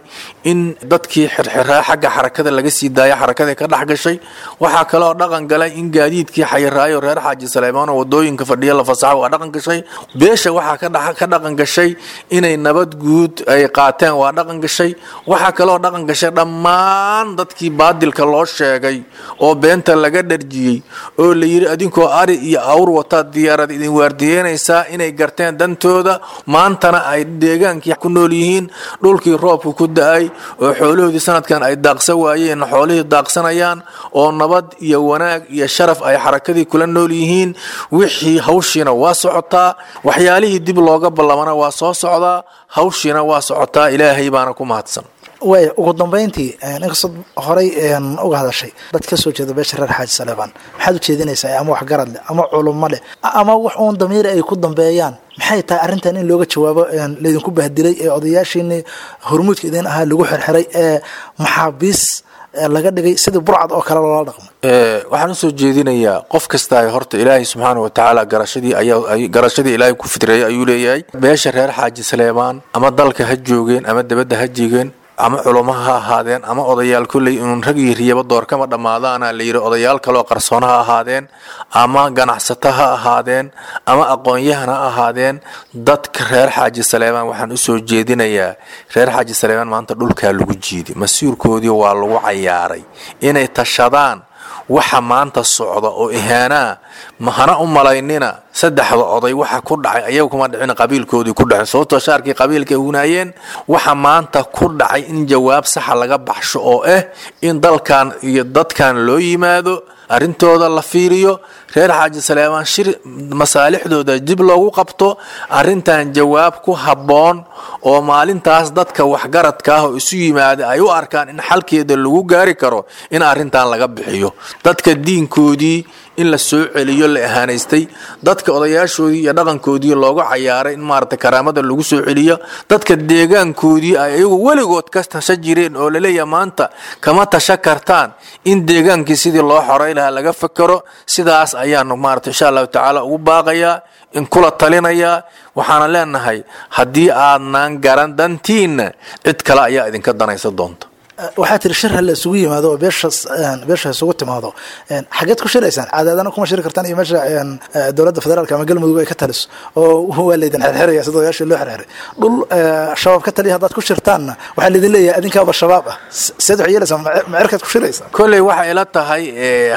in dadkii xirxiraa xagga xarakada laga sii daaya, xarakadii ka dhex gashay. Waxaa kaloo dhaqan galay in gaadiidkii xayiraayo reer Xaaji Saleebaan oo wadooyinka fadhiya la fasaxo, waa dhaqan gashay. Beesha waxaa ka dhex ka dhaqan gashay inay nabad guud ay qaateen, waa dhaqan gashay. Waxaa kaloo dhaqan gashay dhammaan dadkii baadilka loo sheegay oo beenta laga dharjiyey oo la yiri adinkoo ari iyo awr wataa diyaarad idin waardiyeynaysaa inay garteen dantooda, maantana ay deegaankii ku nool yihiin, dhulkii roobku ku da'ay oo xoolahoodii sanadkan ay daaqsan waayeen xoolihii daaqsanayaan oo nabad iyo wanaag iyo sharaf ay xarakadii kula nool yihiin. Wixii hawshiina waa socotaa, waxyaalihii dib looga ballamana waa soo socdaa, hawshiina waa socotaa, Ilaahay baana ku mahadsan. Waaya, ugu dambeyntii inkastoo horey uga hadashay dad ka soo jeeda beesha reer Xaaji Saleebaan, maxaad ujeedinaysaa ama wax garad leh ama culummo leh ama wax uun damiir ay ku dambeeyaan? Maxay tahay arrintan in looga jawaabo laydinku bahdilay ee odayaashiinii hormuudka idin ahaa lagu xirxiray ee maxaabiis laga dhigay sidii burcad oo kale loola dhaqmo? Waxaan usoo jeedinayaa qof kasta horta Ilaahay subxaana wa tacaala garashadii ayaa garashadii Ilaahay ku fitreeyay ayuu leeyahay. Beesha reer Xaaji Saleebaan ama dalka ha joogeen ama dibadda ha joogeen ama culamo ha ahaadeen ama odayaal kolley inuun rag iyo riyaba door kama dhammaadaana la yidhi, odayaal kaloo qarsoon ha ahaadeen ama ganacsato ha ahaadeen ama aqoon-yahan ha ahaadeen, dadka reer Xaaji Saleebaan waxaan usoo jeedinayaa reer Xaaji Saleebaan maanta dhulkaa lagu jiiday, masiirkoodii waa lagu cayaaray inay tashadaan. Waxa maanta socda oo ihaanaa mahana u malaynina saddexda oday waxa ku dhacay ayaga kuma dhicin, qabiilkoodii ku dhacay, sababtoo shaarkii qabiilka ay hunaayeen. Waxa maanta ku dhacay in jawaab saxa laga baxsho oo ah in dalkan iyo dadkan loo yimaado, Arrintooda la fiiriyo, reer Xaaji Saleebaan shir masaalixdooda dib loogu qabto, arrintan jawaab ku habboon oo maalintaas dadka waxgaradka ah oo isu yimaada ay u arkaan in xalkeeda lagu gaari karo in arrintan laga bixiyo. Dadka diinkoodii in la soo celiyo la ahaanaystay, dadka odayaashoodii iyo dhaqankoodii looga cayaaray in maaragtay karaamada lagu soo celiyo, dadka deegaankoodii ay iyagu weligood ka tasha jireen oo laleeyahay maanta kama tasha kartaan, in deegaankii sidii loo xoray lahaa laga fakero. Sidaas ayaanu maaragtay insha Allahu tacaala ugu baaqayaa, in kula talinayaa. Waxaana leenahay haddii aadnaan garan dantiinna, cid kale ayaa idinka danaysa doonta. Waxaa tiri shir ha la isugu yimaado oo beesha beesha isugu timaado. Xageed ku shiraysaan? Cadaadana kuma shiri kartaan iyo meesha dowladda federaalka ama Galmudug ay ka taliso oo waa laydin xirxiraya sida odayaashii loo xirxiray. Dhul Shabaab ka taliya haddaad ku shirtaanna waxaa laydin leeyahay adinkaaba Shabaab ah. Seed waxay yeelaysaa? Macerkaad ku shiraysaa? Kolley waxay ila tahay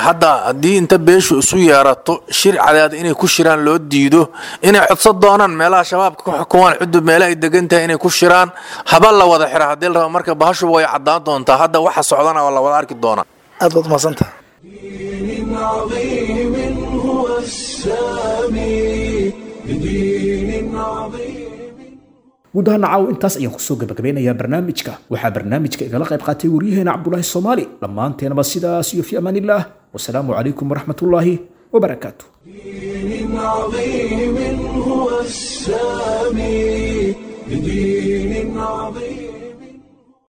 hadda haddii inta beeshu isu yeerato shir Cadaad inay ku shiraan loo diido, inay codsan doonaan meelaha Shabaabka ku xukumaan, ciddu meelaha ay degan tahay inay ku shiraan, haba la wada xira haddii la rabo. Marka bahashuba way caddaan doontaa, hadda waxa socdana waa la wada arki doonaa. Aad baad umahadsantaha. دين عظيم هو السامي، بدين عظيم. Guud ahaan caaw intaas ayaan kusoo gabagabeynayaa barnaamijka. Waxaa barnaamijka igala qayb qaatay waryaheena Cabdulaahi Soomaali. Dhammaanteenaba sidaas iyo fi amaan illaah, wasalaamu calaykum waraxmatullaahi wabarakaatu. دين عظيم هو السامي، بدين عظيم.